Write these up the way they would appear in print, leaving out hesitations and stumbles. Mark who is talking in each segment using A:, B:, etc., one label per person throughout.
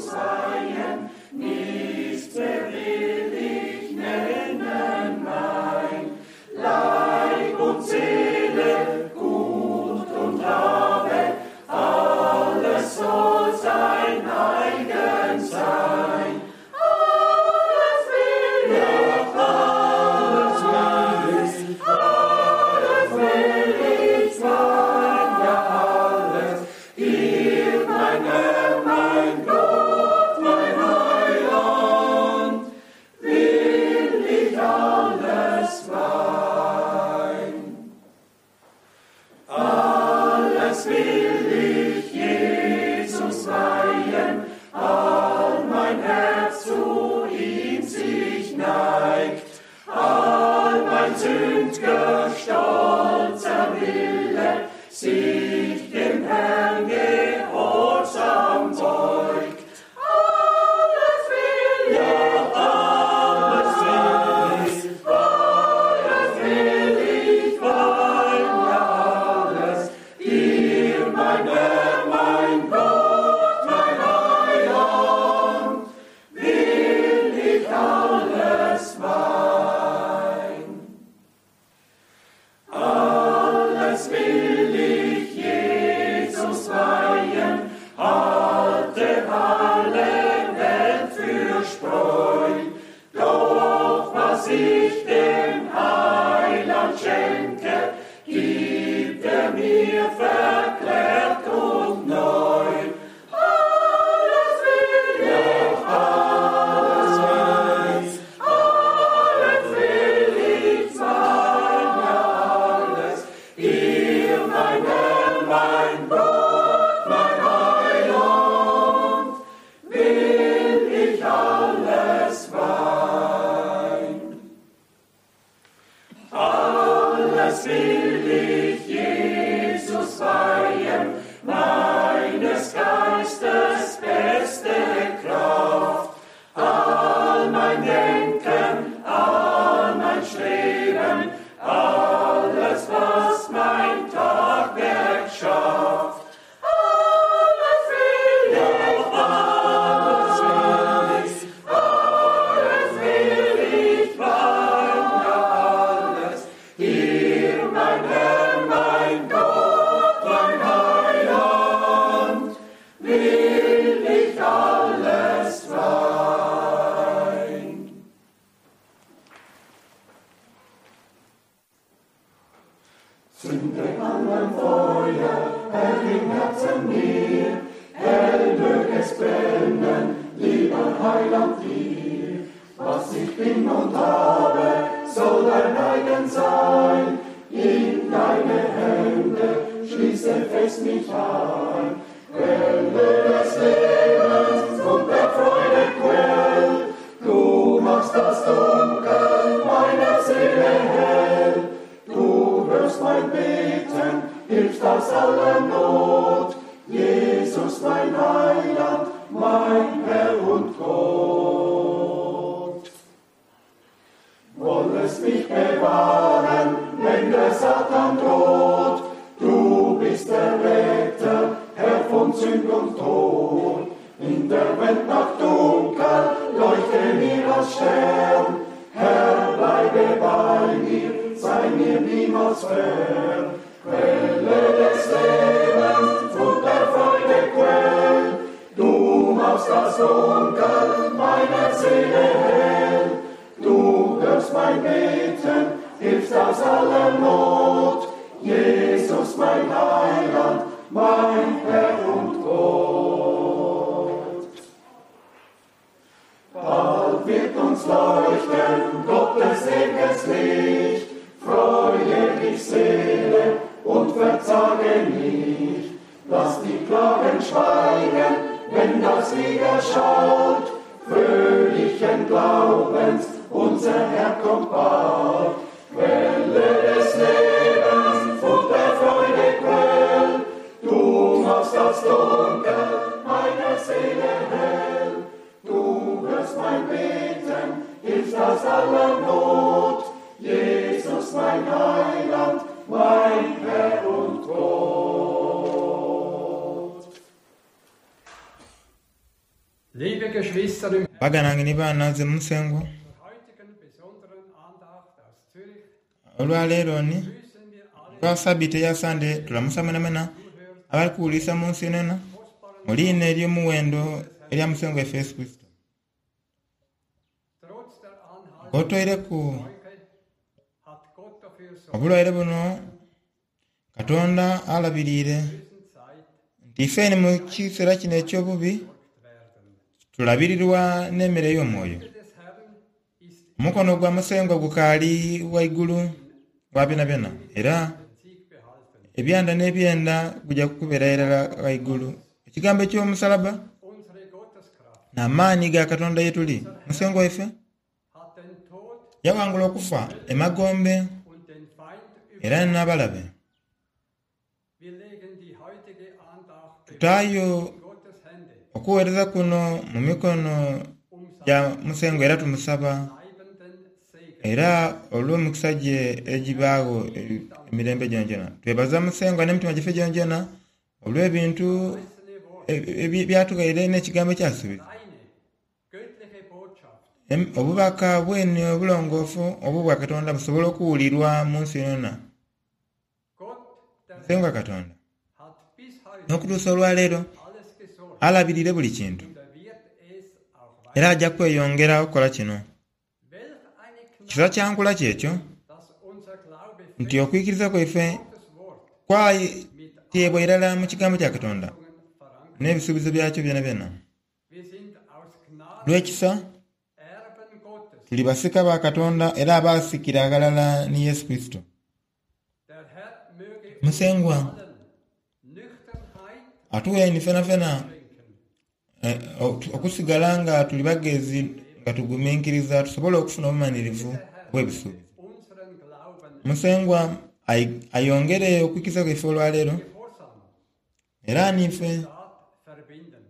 A: Jesus weihen, nichts mehr will ich nennen mein. Leib und Seele, Gut und Habe, alles soll sein eigen sein. Alles will ich, alles will ich, alles will ich sein, ja alles. Dir, mein Herr, mein Gott, mein Heiland, will ich alles weihen. Alles will ich Jesus weihen, all mein Herz zu ihm sich neigt, all mein sünd'ger stolzer Wille sich dem Herrn gehorsam beugt. Alles will ich, alles will ich, alles will ich weihen, ja alles. Dir, mein Herr, mein Gott, mein Heiland, will ich alles weihen. Alles will ich Jesus weihen, halte alle Welt für Spreu. Doch was ich dem Heiland schenke, gibt er mir verklärt und neu. Alles will ich, alles will ich, alles will ich sein, ja alles. Dir, mein Herr, mein Gott, mein Heiland, will ich alles weihen. Alles will ich Jesus weihen, meines Geistes beste Kraft. All mein Denken, all mein Streben, alles, was mein Tagwerk schafft. Alles will ich, alles will ich, alles will ich weihen, ja alles. Dir, mein Herr, mein Gott, mein Heiland, will ich alles weihen. Zünde an mein Feuer, Herr, im Herzen mir, hell mög es brennen, lieber Heiland dir. Was ich bin und habe, soll dein eigen sein, in deine Hände schließe fest mich ein. Quelle des Lebens und der Freude Quell, du machst das Dunkel meiner Seele hell. Du hörst mein Beten, hilfst aus aller Not, Jesus mein Heiland, mein Herr und Gott. Wollest mich bewahren, wenn der Satan droht, du bist der Retter, Herr von Sünd und Tod. In der Welt Nacht dunkel, leuchte mir als Stern, Herr, bleibe bei mir, sei mir niemals fern. Quelle des Lebens und der Freude Quell, du machst das Dunkel meiner Seele hell. Du hörst mein Beten, hilfst aus aller Not, Jesus mein Heiland, mein Herr und Gott. Bald wird uns leuchten Gottes ewiges Licht, freue dich Seele und verzage nicht. Lass die Klagen schweigen, wenn das Lied erschallt, fröhlichen Glaubens, unser Herr kommt bald. Quelle des Lebens und der Freude Quell, du machst das Dunkel meiner Seele hell. Du hörst mein Beten, hilfst aus aller Not, Jesus mein Heiland, mein Herr und Gott. Liebe Geschwister im
B: Baganda bange ni baana nze Musengwa,
A: Zur heutigen besonderen Andacht aus Zürich
B: olwaleero ni
A: grüßen wir alle
B: olwa sabiiti eya Sande tulamusa mwenamwena abali kuwulirisa mu nsi yonayona mu liina ery'omuwendo erya Musengwa waife Yesu Kurisito.
A: trotz der anhaltenden
B: Ng'otoireku
A: Seuche hat Gott dafür sorgt
B: obulwaire buno, Katonda alabiriire
A: bösen Zeit
B: nti ifeni mu kiseera kino eky'obubi
A: versorgt werden.
B: tulabirirwa n'emmere ey'omwoyo.
A: Die des Herrn ist
B: Omukono gwa Musengwa gukaali waigulu wa byonabyona era
A: den Sieg behalten.
B: ebyanda n'ebyenda guja kubeera irala ghaigulu. Ekigambo eky'omusalaba
A: Unsere Gotteskraft
B: n'amaani ga Katonda ye tuli. Musengwa waife
A: hat den Tod
B: yawangula okufa emagombe
A: und den Feind
B: era
A: überwunden.
B: n'abalabe.
A: Wir legen die heutige Andacht
B: Tutaayo
A: bewusst in Gottes Hände,
B: okuweereza kuno mu mikono
A: um
B: gya
A: seinen
B: Musengwa era tumusaba
A: bleibenden Segen.
B: era olw'emikisa gye egibaagho emirembe gyonagyona. Twebaza Musengwa n'emitima gyaife gyonagyona olw'ebintu
A: Verheißene Wort,
B: byatughaire n'ekigambo ekyasuubiza.
A: reine, göttliche Botschaft
B: Obubaka bwene obulongoofu obwo bwa Katonda busobola okuwulirwa mu nsi yonayona.
A: Gott, der
B: Musengwa Katonda
A: hat bis heute
B: n'okutuusa olwaleero
A: alles gesorgt
B: alabirire buli kintu
A: und er wird es auch
B: era
A: weiter.
B: ajja kweyongera okukola kino.
A: Welch eine
B: Kisa
A: Gnade,
B: kya nkula kyekyo
A: dass unser Glaube
B: nti
A: fest
B: okwikiriza kwaife
A: Gottes Wort
B: kwateebwa irala mu kigambo kya Katonda
A: verankert.
B: n'ebisuubizo byakyo byonabyona.
A: Wir sind aus Gnade
B: Olw'ekisa
A: Erben Gottes.
B: tuli basika ba Katonda era abaasikira aghalala ni Yesu Kurisito.
A: Der Herr möge uns
B: Musengwa
A: allen Nüchternheit
B: atuwe fenafena
A: schenken,
B: okusigala nga tuli bagezi nga tuguminkiriza tusobole okufuna obumanhirivu obw'ebisuubizo.
A: unseren Glauben
B: Musengwa ayongere okwikiriza kwaife olwaleero
A: Gehorsam
B: era niife
A: Tat verbinden.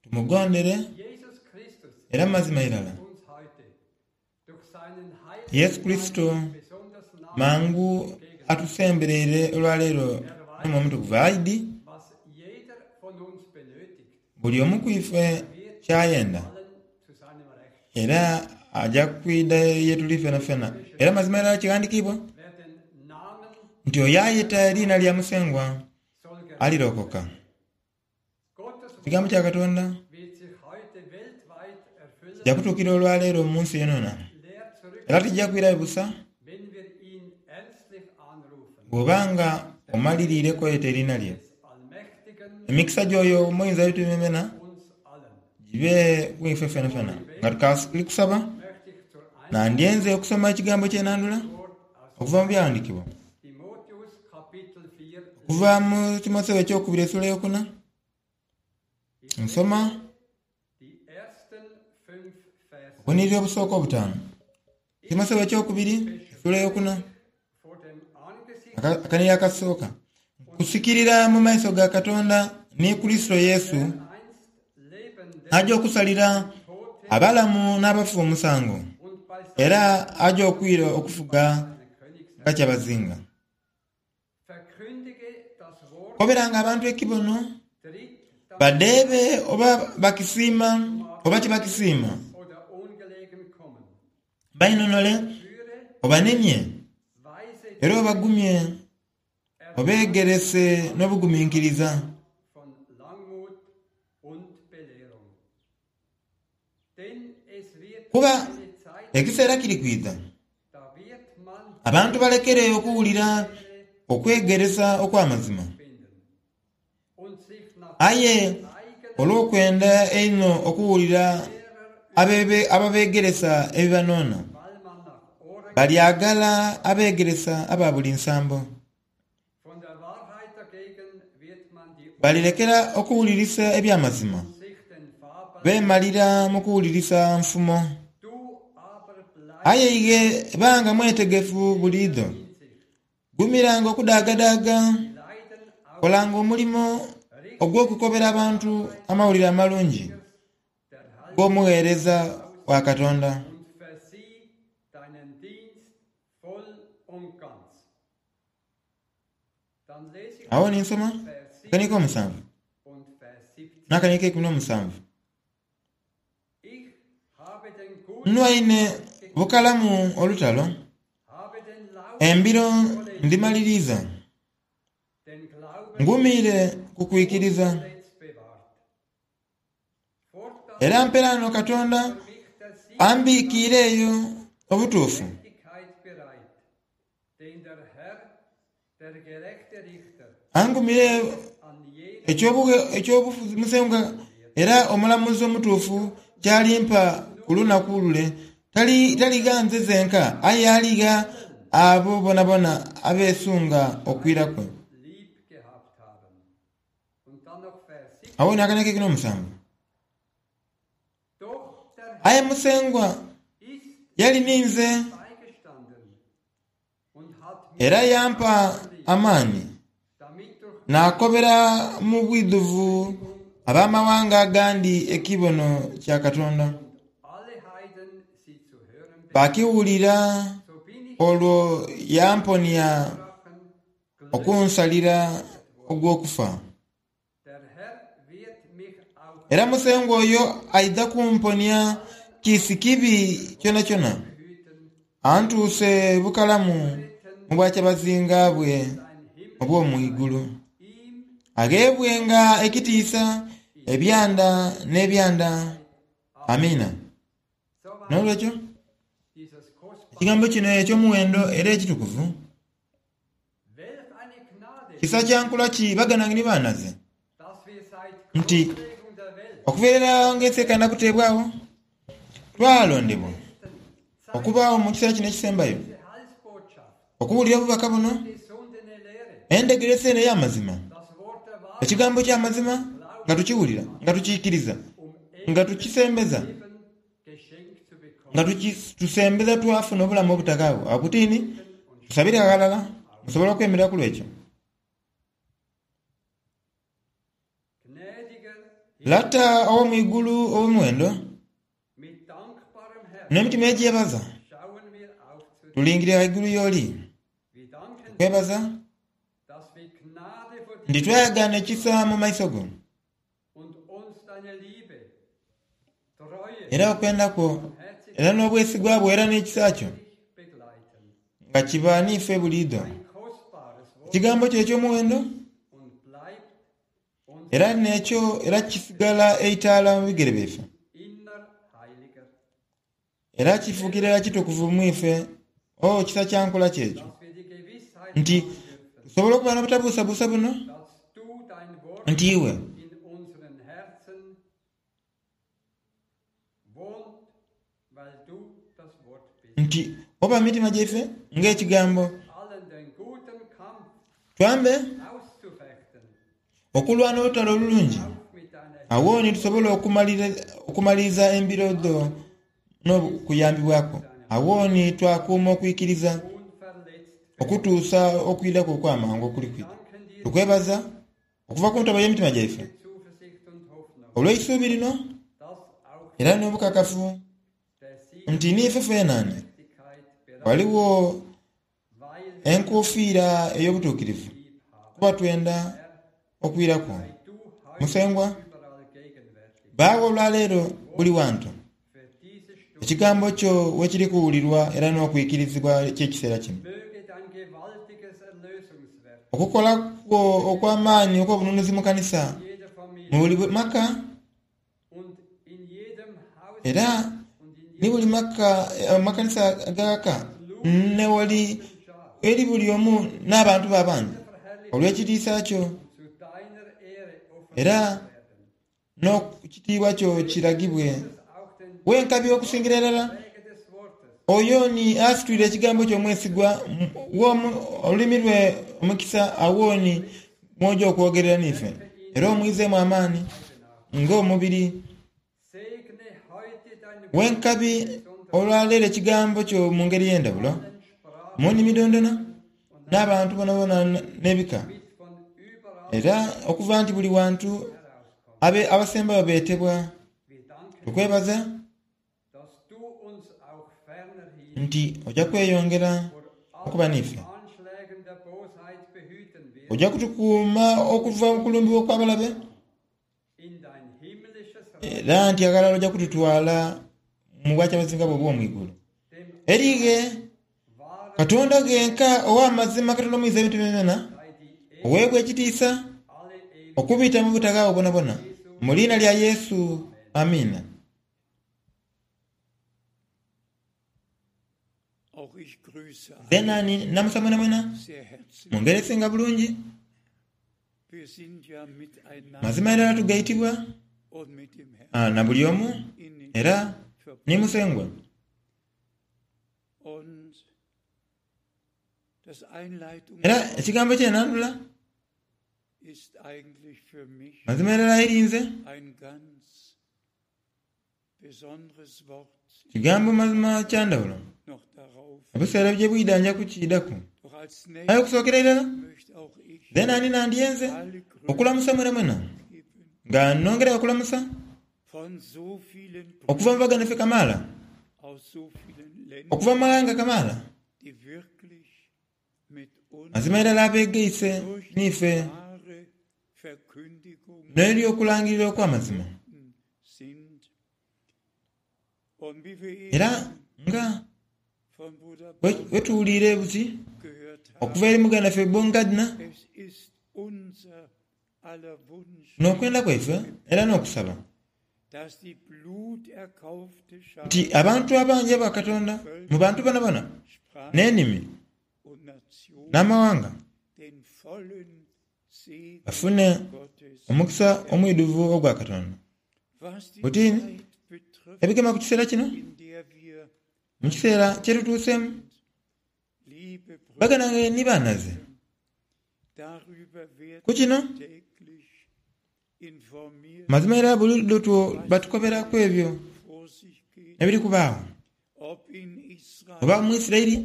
B: tumugondere
A: Jesus Christus
B: era mazima irala.
A: uns heute durch seinen
B: Yesu
A: Heiligen
B: Kurisito
A: Geist besonders nah
B: mangu atusembereire olwaleero n'omwoyo omutukuvu aidi
A: was jeder von uns benötigt,
B: buli omu ku ife kyayenda
A: allen zu seinem Recht.
B: era aja kwidha ye tuli fenafena. Era mazima irala kighandikiibwa
A: Wer den Namen
B: nti oyo ayeta eriina lya Musengwa
A: soll gerettet
B: alirokoka.
A: Gottes
B: Ekigambo
A: Wort
B: kya Katonda
A: wird sich heute weltweit erfüllen,
B: kijja kutuukira olwaleero mu nsi yonayona
A: leer zurück,
B: era tijja kwirayo busa
A: wenn wir ihn ernstlich anrufen.
B: bw'obanga omaliriire kweyeta eriina lye.
A: Des Allmächtigen
B: Emikisa gy'oyo omuyinza ebitubimena
A: uns allen.
B: gibe ku ife fenafena. Nga tukali kusaba
A: Möchte ich zur
B: nandyenze okusoma ekigambo ky'enandula
A: Antwort aus
B: okuva mu byawandiikibwa
A: Timotheus Kapitel 4
B: okuva mu Timotheo ekyokubiri essuula eyokuna nsoma
A: die ersten fünf Verse.
B: obuniriri obusooka obutaano. Timotheo ekyokubiri essuula eyokuna
A: Vor dem Angesicht
B: akaniri akasooka nkusikirira mu maiso ga Katonda ni Kurisito Yesu
A: einst lebenden
B: aja okusalira
A: Tote
B: abalamu n'abafu omusango
A: und bei
B: era aja okwira okufuga
A: seinem Königsreich.
B: nga kyabazinga.
A: Verkündige das Wort,
B: Koberanga abantu ekibono
A: tritt das
B: badeebe oba bakisiima oba tibakisiima
A: oder ungelegen kommen.
B: bainonole
A: Führe,
B: obanemye
A: weise
B: era obagumye obeegerese n'obuguminkiriza.
A: von Langmut und Belehrung. Denn es wird
B: Kuba
A: eine Zeit,
B: ekiseera kiri kwidha
A: da wird man
B: abantu balekere okuwulira okwegeresa okw'amazima
A: finden und sich nach
B: aye
A: eigenen
B: olw'okwenda einho okuwulira ababeegeresa ebibanoona
A: weil man nach Ohren
B: balyagala abeegeresa aba buli nsambo.
A: von der Wahrheit dagegen wird man die
B: Balirekera okuwulirisa eby'amazima
A: sich den Fabeln.
B: beemalira mu kuwulirisa nfumo.
A: Du aber bleib
B: Aye ighe banga mwetegefu buliidho
A: in sich.
B: gumiranga okudaagadaaga
A: Leiden aus
B: kolanga omulimo ogw'okukobera abantu amawulire amalungi
A: der Heil
B: g'omugheereza wa Katonda.
A: und versieh deinen Dienst voll und ganz. Dann lese ich
B: Awo ni nsoma
A: Vers
B: akaniika
A: 7
B: omusanvu
A: und Vers 17.
B: n'akaniika eikumi n'omusanvu. Nwaine bukalamu olutalo, embiro ndhimaliriiza, ngumiire ku kwikiriza. Era mperaano Katonda ambiikiire eyo obutuufu. Angumire eky'obufuzi Musengwa era omulamuzi omutuufu ky'alimpa ku lunaku lule. Taligha nze zenka, aye aligha abo boonaboona abeesunga okwira kwe. Agho ni akana ak'eikumi n'omusanvu. Aye Musengwa yali ninze. Era yampa amaani, naakobera mu bwidhuvu abamaghanga agandi ekibono kya Katonda. Baakiwulira olwo yamponia okunsalira ogw'okufa. Era Musengwa oyo aidha kumponia kiisi kibi kyonakyona, antuuse bukalamu mu bwakyabazinga bwe obw'omu igulu. Agheebwenga ekitiisa ebyanda n'ebyanda. Amiina. N'olwekyo, ekigambo kino eky'omuwendo era ekitukuvu, Kisa kya nkula ki baganange ni baanaze nti okuviira irala ng'ensi ekaenda kuteebwagho, twalondebwa okubaagho mu kiseera kino ekisembayo okuwulira obubaka buno, endhegeresa eno ey'amazima, ekigambo eky'amazima nga tukiwulira, nga tukiikiriza, nga tukisembeza. Nga tusembeza twafuna obulamu obutaghaagho. Agho kutiini, tusabire ghalala. Musobola okwemerera ku lw'ekyo? Lata ow'omu igulu ow'omuwendo, n'emitima egyebaza, tulingirira ghaigulu y'oli. Tukwebaza nti twayagaana ekisa mu maiso go. Era okwenda kwo, era n'obwesigwa bwo, era n'ekisa kyo, nga kiba n'ife buliidho. Ekigambo kyo eky'omuwendo era n'ekyo era kisigala eitaala mu bigere byaife, era kifuukira irala kitukuvu mu ife. Oh, kisa kya nkola ki ekyo, nti tusobola okuba n'obutabuusabuusa buno, nti iwe Nti oba mu mitima gyaife ng'Ekigambo. Twambe okulwana olutalo olulungi, agho ni tusobole okumaliriza embiro dho n'okuyambibwa kwo. Agho ni twakuuma okwikiriza okutuusa okwidha kwo okw'amangu okuli kwidha. Tukwebaza Okuva ku ntobo y'emitima gyaife olw'eisuubi lino era n'obukakafu nti n'ife fenani ghaligho enkuufiira ey'obutuukirivu, kuba twenda okwira kwo. Musengwa, baagho olwaleero buli wantu Ekigambo kyo we kiri kuwulirwa era n'okwikirizibwa eky'ekiseera kino. Okukola kwo okw'amaani okw'obununuzi mu kanisa, mu buli maka, era ni buli maka, amakanisa ag'aghaka, n'ewali eri buli omu n'abantu bo abandi, olw'ekitiisa kyo era N'ekitiibwa kyo kiragibwe. Wenkabi okusingira irala oyo ni asitwire ekigambo kyo omwesigwa, gha olulimi lwe omukisa, agho ni mw'oja okwogerera n'ife, era omwizeemu amaani ng'omubiri. Wenkabi olwaleero ekigambo kyo mu ngeri ey'endhawulo, mu nnimi dhoondhona, n'abantu boonaboona n'ebika, era okuva nti buli wantu abasembayo beetebwa. Tukwebaza nti oja kweyongera okuba n'ife. Oja kutukuuma okuva mu kulumbibwa okw'abalabe, era nti aghalala oja kututwala mu Bwakyabazinga bwe obw'omu igulu. Erighe Katonda ghenka ow'amazima, Katonda Omuyinza w'ebintu byonabyona, oweebwa ekitiisa okubita mu butaghaagho bwonabwona. Mu liina lya Yesu. Amiina. Nze naani namusa mwenamwena mu ngeri esinga bulungi. Mazima irala tugaitibwa na buli omu era ni Musengwa. Era ekigambo ky'enandhula mazima irala eri nze Kigambo mazima kya ndhawulo. Ebiseera bye bwidha nja kukiidhaku. Aye okusookera irala, zeena ndi nandyenze okulamusa mwenamwena, nga nongerayo okulamusa okuva mu baganda baife kamaala, okuva mu maghanga kamaala, mazima irala abeegaise n'ife n'eby'okulangirira okw'amazima. Era nga bwe tuwuliire buti okuva eri muganda waife Baumgardner, n'okwenda kwaife era n'okusaba nti abantu abangi aba Katonda mu bantu boonaboona n'enimi n'amawanga bafune omukisa omwidhuvu ogwa Katonda. Buti ebigema ku kiseera kino, mu kiseera kye tutuuseemu, baganda bange ni banhaze, ku kino mazima era buliidho batukobera ku ebyo ebiri kubaagho, oba mu Isiraeli,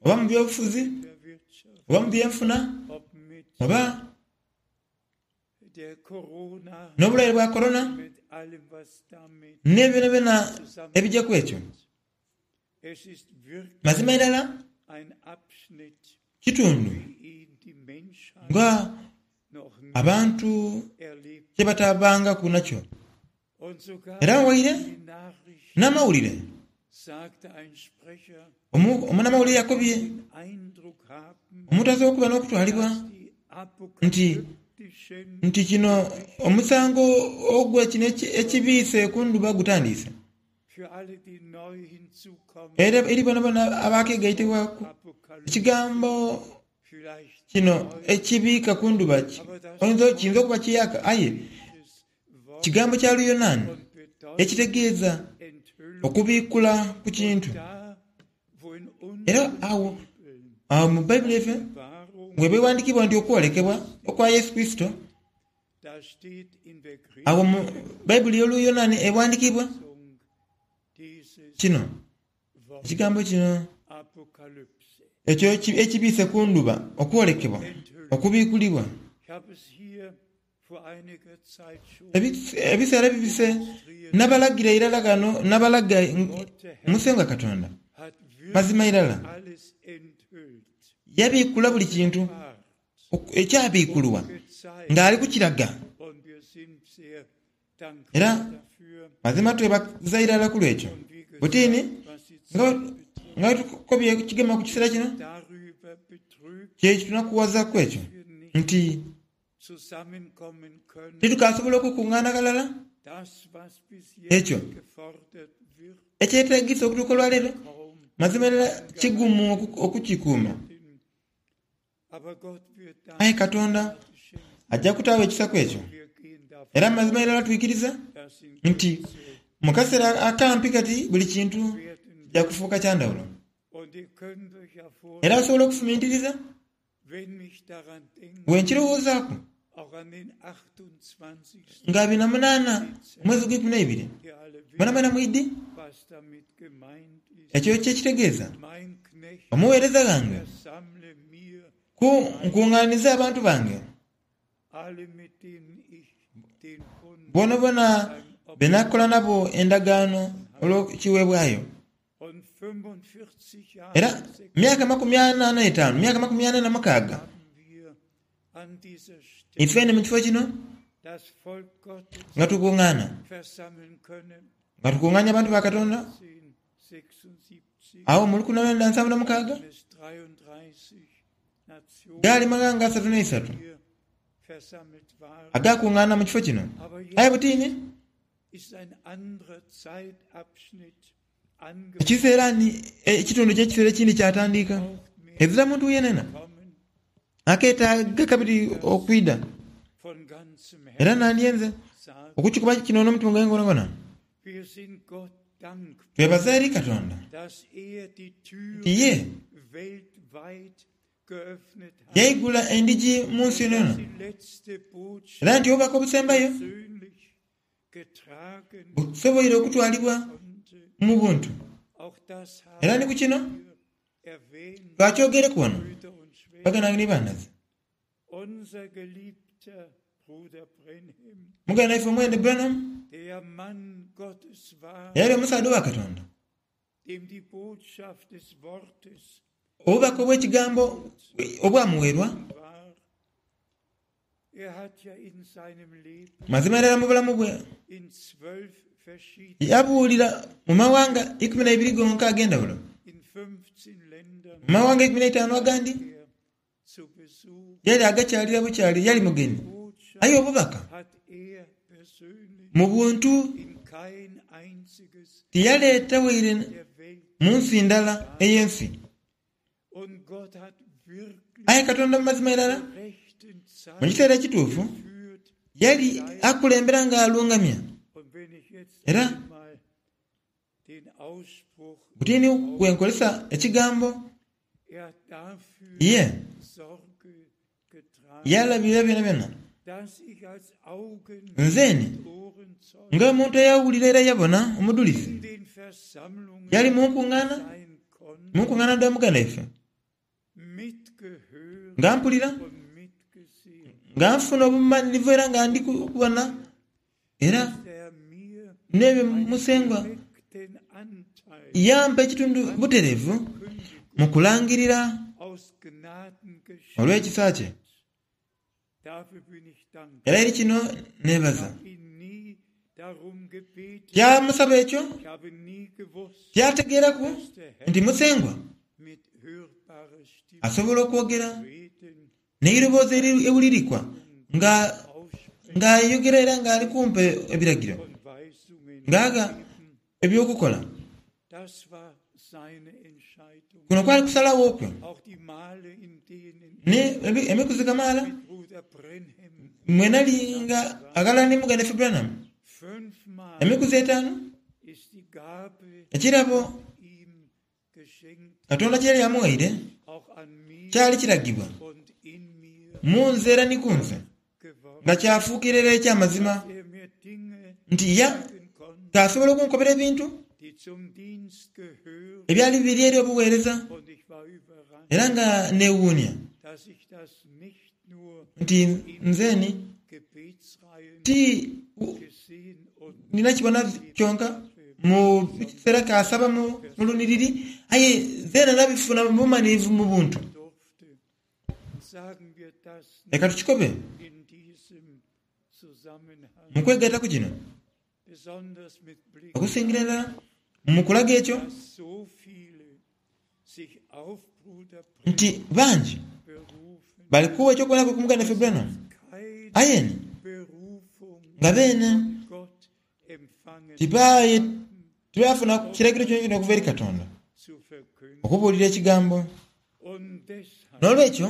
B: oba mu by'obufuzi, oba mu by'enfuna, oba n'obulwaire bwa Korona, ni byonabyona ebija ku ekyo. Mazima irala kitundu nga abantu kye batabangaku nakyo. Era waire n'amawulire, omunamawulire yakobye omuntu asobola okuba n'okutwalibwa nti nti kino omusango ogwe kino ekibiise ku ndhuba gutandiise. Era eri boonaboona abaakegaitibwaku, ekigambo kino ekibiika ku ndhuba kiyinza okuba kiyaaka aye kigambo kya Luyonaani ekitegeeza okubiikula ku kintu. Era agho mu Baibuli yaife bw'eba eghandiikibwa nti okwolekebwa okwa Yesu Kurisito, Agho mu Baibuli y'Oluyonaani eghandiikibwa kino, ekigambo kino ekyo ekibiise ku ndhuba, okwolekebwa, okubiikulibwa. Ebiseera ebibise nabalagira irala ghano, nabalaga Musengwa Katonda. Mazima irala yabiikula buli kintu. ekyabiikulwa ng'ali kukiraga. Era mazima twebaza irala ku lw'ekyo. Butini nga bwe tukobye ekigema ku kiseera kino, kye kitunakuwazaku ekyo nti titukasobola okukungaana ghalala. Ekyo ekyetaagisa okutuuka olwaleero, mazima irala kigumu okukikuuma. Aye Katonda aja kutaagho ekisa ku ekyo. Era mazima irala twikiriza nti mu kaseera akampi kati buli kintu kija kufuuka kya ndhawulo. Era osobola okufumintiriza bwe nkirowoozaaku nga abiri na munaana omwezi ogweikumi n'eibiri, mwenamwena mwidhi ekyo kye kitegeeza. Omuweereza ghange, ku nkungaanize abantu bange boonaboona be nakola nabo endagaano olw'ekiweebwayo. Era myaka amakumi ana n'etaanu, myaka 46, ife eno mu kifo kino nga tukungaana. Nga tukungaania abantu ba Katonda agho mu 1976, gaali maghanga 33 agaakungaana mu kifo kino. Aye butini ekiseera ni ekitundu ky'ekiseera ekindi kyatandiika. Ezira muntu yenena akeetaaga kabiri okwidha. Era nandyenze okukikuba kino n'omutima gwange gwonagwona. Twebaza eri Katonda nti ye yaigula endhigi mu nsi yonayona, era nti obubaka obusembayo busoboire okutwalibwa mu buntu. Era ni ku kino twakyogereku wano, baganda bange ni banhaze. Muganda waife omwene Branham eyali omusaadha owa Katonda, obubaka obw'ekigambo obwamuweerwa, mazima irala mu bulamu bwe yabuulira mu mawanga 12 gonka ag'endhawulo, mu mawanga 15 agandi. Yali agakyalira bukyali, yali mugenyi. Aye obubaka mu buntu tiyaleeta waire mu nsi ndala ey'ensi. Aye Katonda mu mazima irala, mu kiseera ekituufu, yali akulembera nga alungamya. Era Buti ni bwe nkozesa ekigambo ye, yalabirira byonabyona. Nze ni, ng'omuntu eyawulira era yabona omudhulizi, yali mu nkungaana, mu nkungaana dha muganda waife, nga mpulira, nga nfuna obumanhirivu era nga ndi kubona era n'ebyo Musengwa yampa ekitundu butereevu mu kulangirira olw'ekisa kye. Era eri kino neebaza. Tyamusaba ekyo, tyategeeraku nti Musengwa asobola okwogera n'eiroboozi eriwulirikwa nga ng'ayogera era ng'ali kumpa ebiragiro, ng'agha eby'okukola. Kuno kwali kusalagho kwe. Ni emikuzi kamaala mwe nali nga aghalala ni muganda waife Branham, emikuzi etaanu, ekirabo Katonda kye yali amughaire kyali kiragibwa mu nze era ni ku nze, nga kyafuukira irala eky'amazima nti ya k'asobola okunkobera ebintu ebyali biri eri obugheereza, era nga neewuunia nti nzeni ti nina kibona kyonka mu kiseera k'asaba mu lunhiriri, aye zeena nabifuna mu bumanhirivu mu buntu. Leka tukikobe mu kwegaitaku kino, okusingira irala mu kulaga ekyo nti bangi bali kugha eky'okuboneraku ku muganda waife Branham, aye ni nga beene tibaafuna kiragiro kyonakyona okuva eri Katonda okubuulira Ekigambo. N'olwekyo,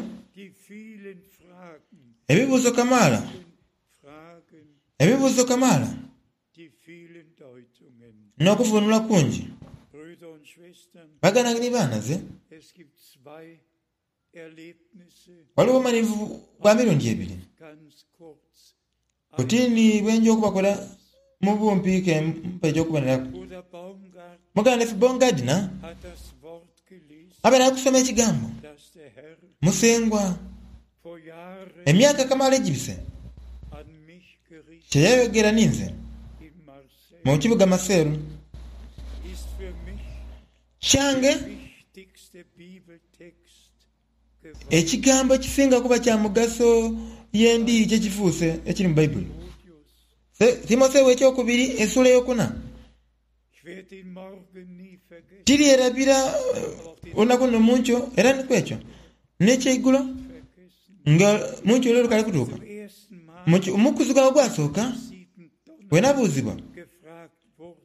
B: ebibuuzo kamaala, ebibuuzo kamaala, n'okuvuunula kungi. Baganda bange ni banhaze, Ghaligho obumanhivu bwa mirundi ebiri. Buti ni bwe nja okubakola mu bumpi ke mpa eky'okuboneraku. Muganda waife Baumgardner abaire ali kusoma Ekigambo, Musengwa, emyaka kamaala egibise, kye yayogera ninze mu kibuga Maseru. Kyange ekigambo ekisinga kuba kya mugaso ye ndi kye kifuuse ekiri mu Baibuli. Timotheo Ekyokubiri esula eyokuna. Tiryerabira olunaku luno mu nkyo era ni kwekyo n'ekyeigulo nga mu nkyo lwe lukali kutuuka. Mu kuzuga ogwasooka bwe nabuuzibwa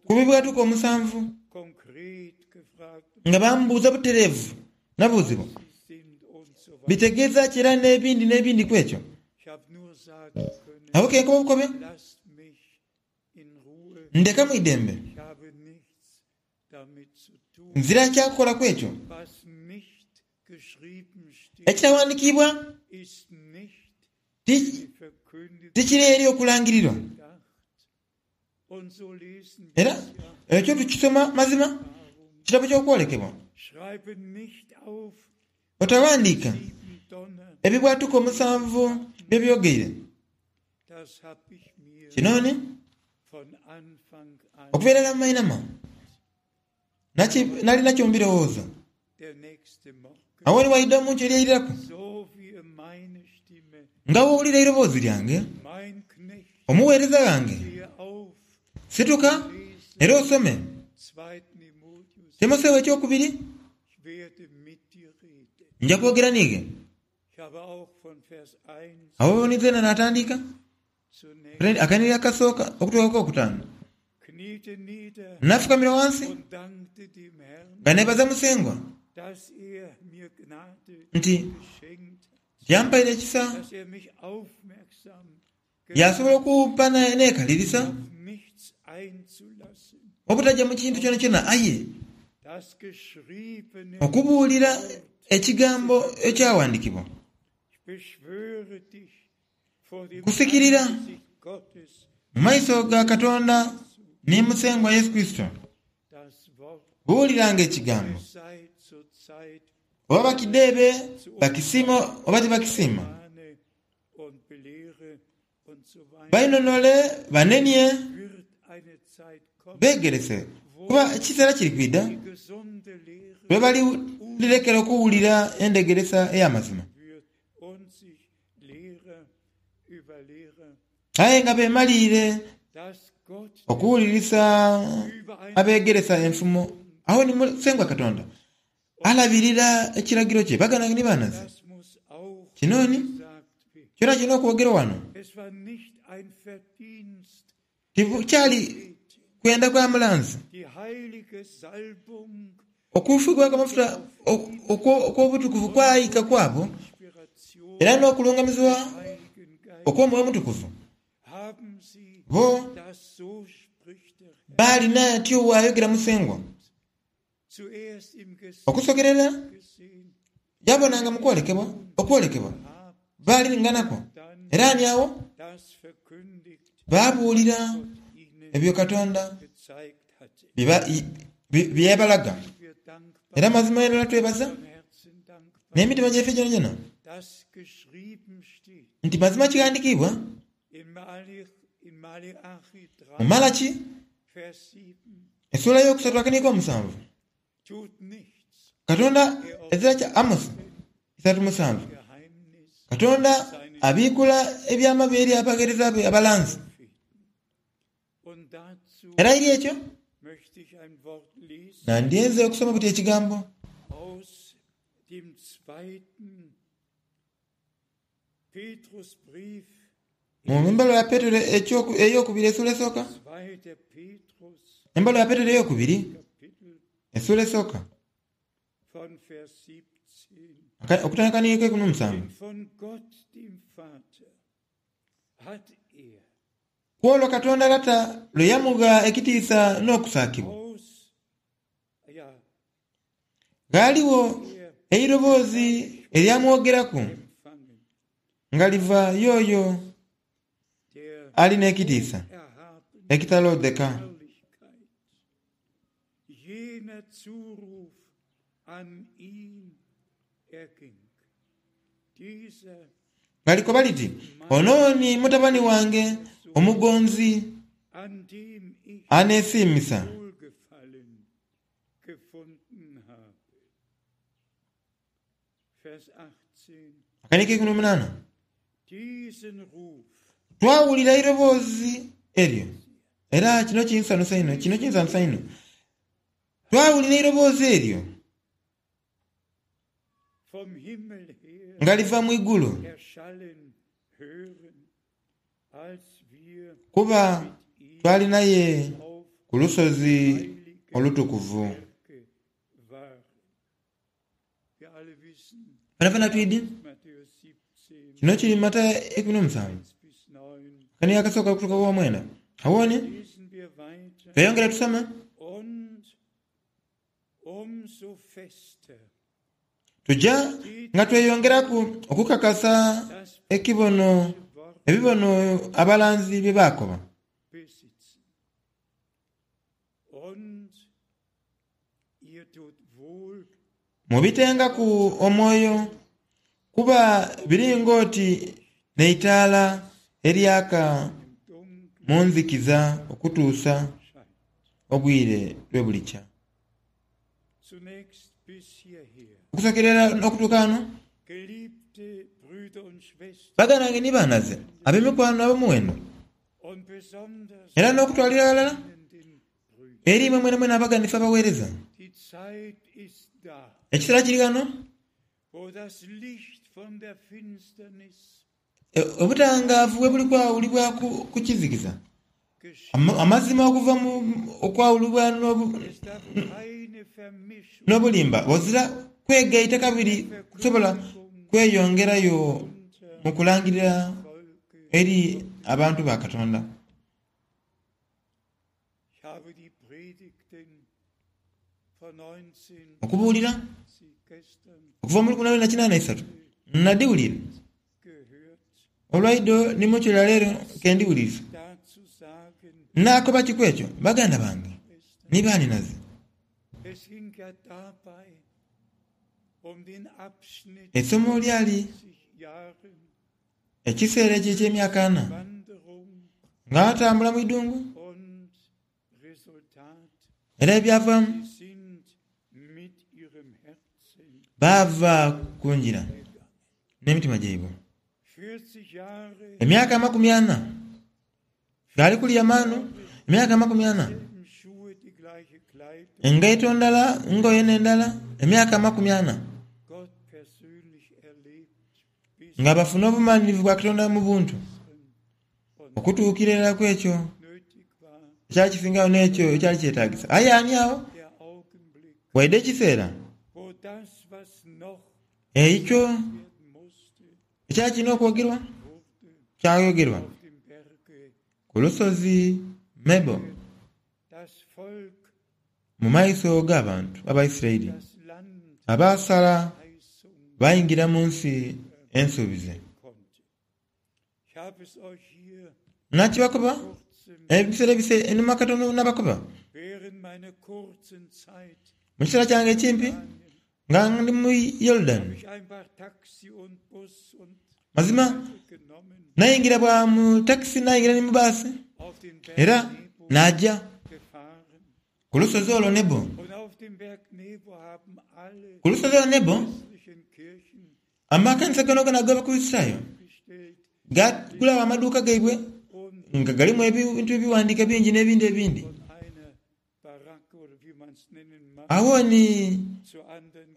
B: ku bibwatuka omusanvu nga bambuuza butereevu, nabuuzibwa bitegeeza ki era n'ebindi n'ebindi ku ekyo. Agho ke nkoba obukobe. Ndeka mu idembe. Nzira kya kukola ku ekyo. Ekitaghandikiibwa tikiri eri okulangirirwa. Era ekyo tukisoma mazima mu kitabo ky'Okwolekebwa. Otaghandiika ebibwatuka omusanvu bye byogeire. Kino ni, okuva irala mu mainhama, nali nakyo mu birowoozo. Agho ni waidha omuntu eri airaku, nga bw'owulira eiroboozi lyange, Omugheereza ghange, situka era osome Timotheo Ekyokubiri, nja kwogera n'ighe. Agho ni zeena naatandiika akanhiriri akasooka okutuuka ku kokutaanu. Naafukamira ghansi nga neebaza Musengwa nti yampaire ekisa yaasobola okumpa neekalirisa obutaja mu kintu kyonakyona aye okubuulira ekigambo ekyaghandiikibwa. Nkusikirira mu maiso ga Katonda ni Musengwa Yesu Kurisito, buuliranga ekigambo, oba bakidheebe bakisiima oba tibakisiima, Bainhonhole, banenie, beegerese, kuba ekiseera kiri kwidha lwe balirekera okuwulira endhegeresa ey'amazima. Aye nga beemaliire okuwulirisa abeegeresa enfumo, agho ni Musengwa Katonda alabirira ekiragiro kye. Baganda ni banhazi, kino ni kyonakyona okwogerwa ghano tikyali kwenda kwa mulanzi. Okufukibwaku amafuta okw'obutukuvu kwaika ku abo, era n'okulungamizibwa okw'Omwoyo Omutukuvu. Bo baali n'atyo bw'ayogera Musengwa. Okusokerera yabonanga mu kwolekebwa, okwolekebwa baalinganaku, era ni agho baabuulira ebyo Katonda bye yabalaga. Era mazima irala twebaza n'emitima gyaife gyonagyona nti mazima kighandikiibwa mu Malaki Esuula ey'okusatu akaniiko omusanvu. Katonda ezira kya Amosi 3:7. Katonda abiikula ebyama bye eri abagheereza be abalanzi. Era eri ekyo nandyenze okusoma buti ekigambo. Mu mbaluwa ya Petero ey'okubiri esuula esooka, Embaluwa ya Petero ey'okubiri esuula esooka, okutandika ni eikumi n'omusanvu. Ku olwo Katonda Lata lwe yamugha ekitiisa n'okusaakibwa. Ghaaligho eiroboozi eryamwogeraku nga liva y'oyo ali n'ekitiisa ekitaloodheka. Nga likoba liti, Ono ni mutabani wange omugonzi aneesiimisa. Akaniiko eikumi n'omunaana. Twawulira eiroboozi eryo, era kino kinsanhusa inho, kino kinsanhusa inho. Twawulira eiroboozi eryo nga liva mu igulu, kuba twali naye ku lusozi olutukuvu. Fenafena twidhi kino kiri mu Matayo 17, akanigo akasooka okutuuka ku lwamwenda. Agho ni tweyongere tusome. Tuja nga tweyongeraku okukakasa ekibono ebibono abalanzi bye baakoba. Mubitengaku omwoyo, kuba biri ng'oti n'eitaala eryaka mu nzikiza okutuusa obwire lwe bulikya. Okusookera irala n'okutuuka ghano, baganda bange ni banhaze, ab'emikwano ab'omuwendo, era n'okutwalira aghalala, Eri imwe mwenamwena abaganhifu abagheereza, ekiseera kiri ghano obutangaavu we buli kwawulibwa ku kizikiza, amazima okuva mu okwawulibwa n'obulimba. Ghazira kwegaita kabiri kusobola kweyongerayo mu kulangirira eri abantu ba Katonda. Okubuulira okuva mu lukumi lwenda kinaana isatu nadhiwulira olwaidho ni mu kyo lya leero ke ndiwulirisa. Nnaakoba ki ku ekyo baganda bange ni baanhinaze? Eisomo lyali Ekiseera ekyo eky'emyaka ana nga atambula mu idungu, era ebyavaamu baava ku ngira n'emitima gyaibwe. Emyaka 40 ng'ali kulya maanu, emyaka 40, engaito ndala, ngoye n'endala, emyaka 40. Nga bafuna obumanhirivu bwa Katonda mu buntu, okutuukira irala ku ekyo ekyali kisingagho n'ekyo ekyali kyetaagisa. Aye ani agho? Waidha ekiseera ekyo ekyali kirina okwogerwa kyayogerwa ku lusozi Nebo mu maiso g'abantu Abaisiraeli abaasala baingira mu nsi ensuubize. Nakibakoba ebiseera ebise einhuma katono nabakoba, mu kiseera kyange ekimpi nga ndi mu Yorudani, mazima naingira bwa mu takisi naingira ni mu baasi era naaja ku lusozi olwo Nebo. Ku lusozi olwo Nebo, amakanisa goonagoona ag'Abakurisitayo gaagulagho amaduuka gaibwe nga galimu ebintu ebighandiike bingi n'ebindi ebindi. Agho ni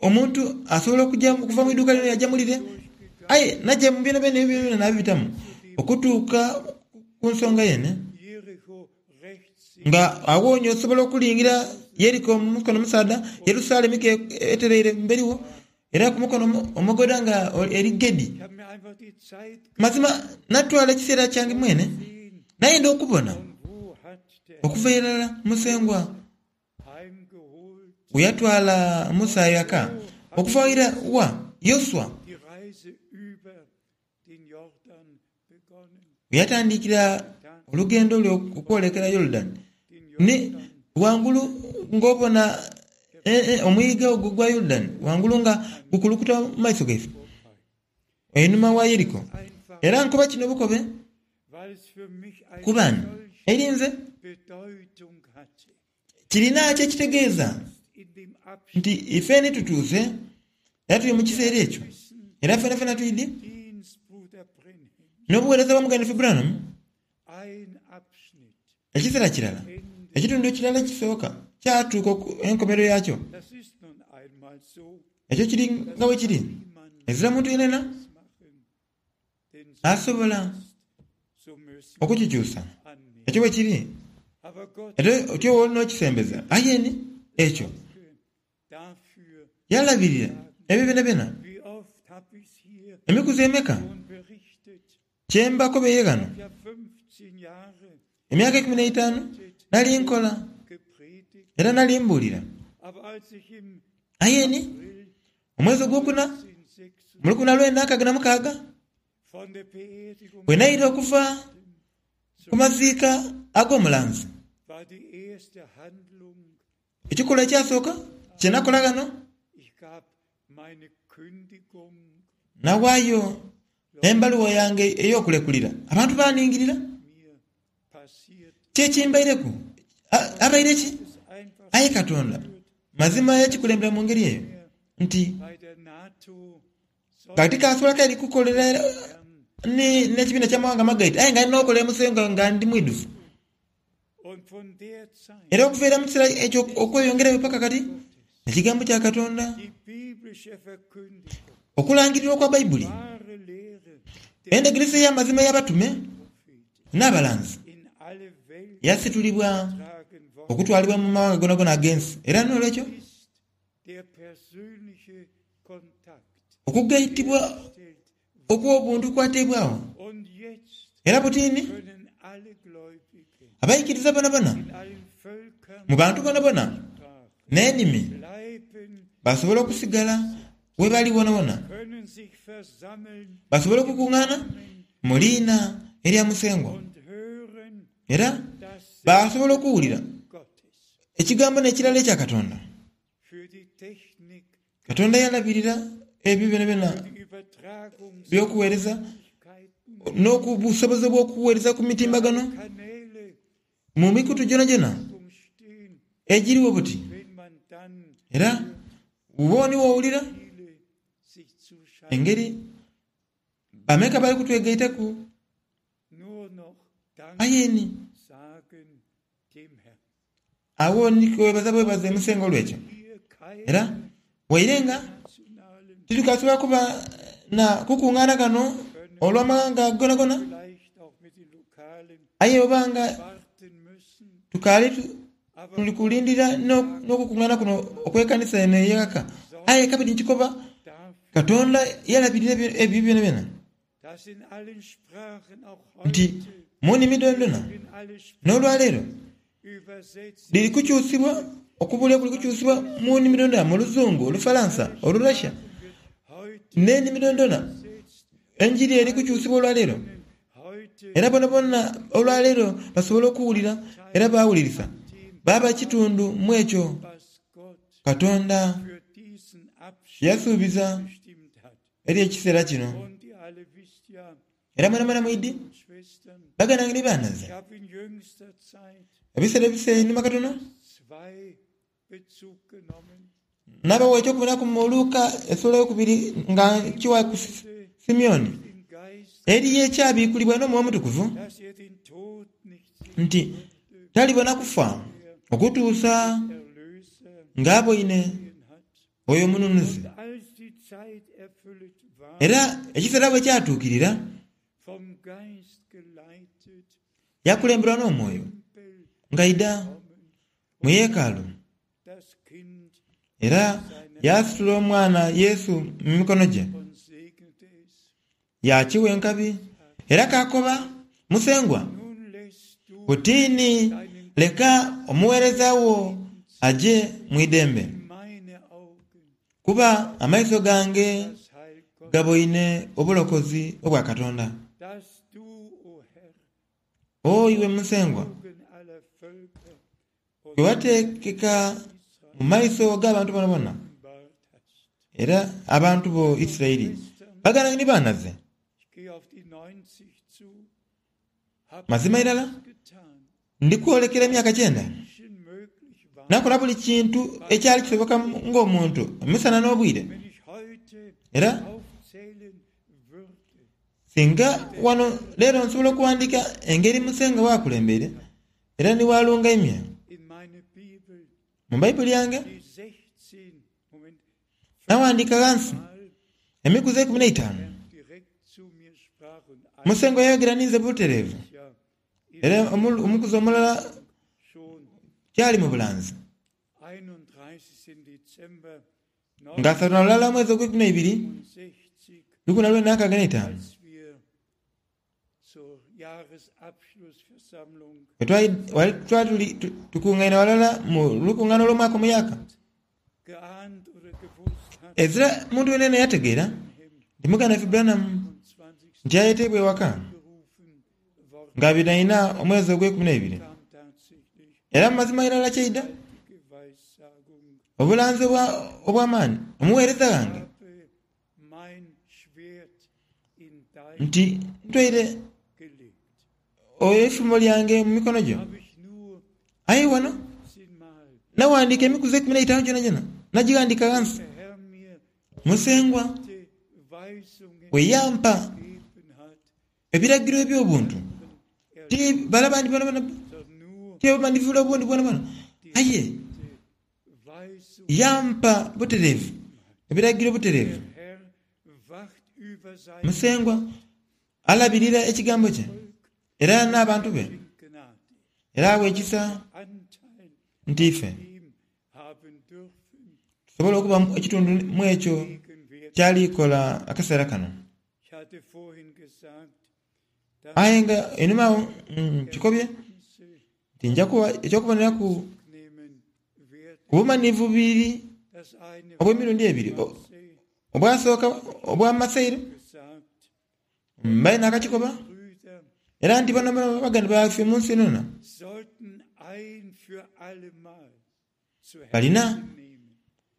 B: omuntu asobola okuja okuva mu iduuka lino yaja mu lire, aye naja mu byonabyona ebyo byonabyona naabibitamu okutuuka ku nsonga yeene. Nga agho ni osobola okulingira Yeriko mu mukono omusaadha, Yerusalemi ke etereire emberi wo, era ku mukono omugoodha nga eri Gedi. Mazima natwala ekiseera kyange mwene, nayenda okubona okuva irala Musengwa bwe yatwala Musa ghaka, okuva ira wa Yoshua bwe yatandikira olugendo lwe okwolekera Yorudani, ni ghangulu ng'obona omwiga ogwo ogwa Yorudani ghangulu nga gukulukuta mu maiso gaife, einhuma wa Yeriko. Era nkoba kino bukobe kuba ni eri nze kirina kye kitegeeza nti ife ni tutuuse era tuli mu kiseera ekyo, era fenafena twidhi n'obuweereza bwa Muganda waife Branham ekiseera kirala, ekitundu ekirala ekisooka. kyatuuka enkomerero yaakyo. Ekyo kiri nga bwe kiri. Ezira muntu yenayena asobola okukikyusa. Ekyo bwe kiri. Era otyo bw'oli n'okisembeza. Aye ni ekyo yalabirira ebyo byonabyona. Emikuzi emeka kye mbakobeire ghano? Emyaka eikumi n'eitaanu nali nkola era nali mbuulira. Aye ni omwezi ogwokuna mu lukumi na lwenda nkaaga na mukaaga bwe naira okuva ku maziika ag'omulanzi, ekikolwa ekyasooka kye nakola ghano, nawaayo embaluwa yange ey'okulekulira. Abantu baaningirira. Ki ekimbaireku? Abaire ki? Aye Katonda mazima yakikulembera mu ngeri eyo nti nga tikasobola kabiri kukolera n'ekibiina ky'amawanga amagaite, aye nga ndina okolera Musengwa nga ndi mwidhuvu. Era okuva ira mu kiseera ekyo okweyongerayo paka kati, Ekigambo kya Katonda, okulangirirwa okwa Baibuli, endhegeresa ey'amazima ey'abatume n'abalanzi yasitulibwa okutwalibwa mu mawanga gonagona ag'ensi. Era n'olwekyo okugaitibwa okw'obuntu kwateebwagho. Era butini abaikiriza bonabona mu bantu bonabona n'enimi basobola okusigala we bali wonawona, basobola okukungaana mu liina erya Musengwa era baasobola okuwulira ekigambo n'ekirala ekya Katonda. Katonda yalabirira ebyo byonabyona by'okuweereza n'obusobozi obw'okuweereza ku mitimbagano mu mikutu gyonagyona egirigho buti. Era bw'oba ni w'owulira engeri bameka abali kutwegaitaku, aye ni Agho ni twebaza bwebaze Musengwa olw'ekyo. Era waire nga titukasobola kuba na kukungaana ghano olw'amaghanga gonagona, aye oba nga tukaali tuli kulindira n'okukungaana kuno okw'ekanisa eno ey'eghaka, aye kabiri nkikoba, Katonda yalabirira ebyo byonabyona. Nti mu nnimi dhoonadhoona n'olwaleero dhiri kukyusibwa, okubuulira kuli kukyusibwa mu nnimi dhoonadhoona, mu Luzungu, Olufalansa, Olurussia n'ennimi dhoonadhoona. Enjiri eri kukyusibwa olwaleero era boonaboona olwaleero basobola okuwulira era baawulirisa baaba kitundu mu ekyo Katonda kye yasuubiza. Eri ekiseera kino. Era mwenamwena mwidhi, baganda bange ni banhaza, ebiseera ebise einhuma katono, nabagho eky'okubonaku mu Luka esula eyokubiri nga nkiwa ku Simeoni, eriyo ekyabikulibwa n'Omwoyo Omutukuvu nti talibona kufa okutuusa ng'aboine oyo Omununuzi. Era ekiseera bwe kyatuukirira, yakulemberwa n'Omwoyo ng'aidha mu yeekaalu, era yaasitula omwana Yesu mu mikono gye, Yaakiwa enkabi era kaakoba, Musengwa, butiini leka omugheereza wo aje mu idembe, kuba amaiso gange gaboine obulokozi obwa Katonda. O iwe Musengwa, gwe wateekeka mu maiso g'abantu boonaboona, era abantu bo Isiraeli baganda ni baanaze. Mazima irala ndi kwolekera emyaka kyenda, nakola buli kintu ekyali kisoboka ng'omuntu emisana n'obwire, era singa wano leero nsobola okuwandiika engeri Musengwa bw'akulembeire, Era ni bw'alungaimya. Mu Baibuli yange nawandiika ghansi emikuzi 15 Musengwa yayogera ninze butereevu, era omukuzi omulala kyali mu bulanzi. Nga 31 omwezi ogweikumi neibiri, 1965, bwe twali tukungaine ghalala mu lukungaana olw'omwaka omuyaaka, ezira muntu yenayena yategeera nti muganda waife Branham nti ayeteibwa ewaka nga 24 omwezi ogweikumi neibiri. Era mu mazima irala kyaidha obulanzi obw'amaani, omuweereza ghange nti ntwaire eifumo lyange mu mikono gyo. Aye ghano naghandiika emikuzi 15 gyonagyona, nagighandiika ghansi. Musengwa bwe yampa ebiragiro eby'obuntu, ti bale abandi boonaboona, ti obumanyirivu bule obundi bwonabwona, aye yampa butereevu ebiragiro butereevu. Musengwa alabirira ekigambo kye era n'abantu be, era awa ekisa nti ife tusobole okuba ekitundu mu ekyo ky'ali kola akaseera kano. Aye nga einhuma agho nkikobye nti nja kuwa eky'okuboneraku ku bumanhivu bubiri obw'emirundi ebiri, obwasooka obwa Maseire mbaire naakakikoba, era nti bano baganda baife mu nsi yonayona balina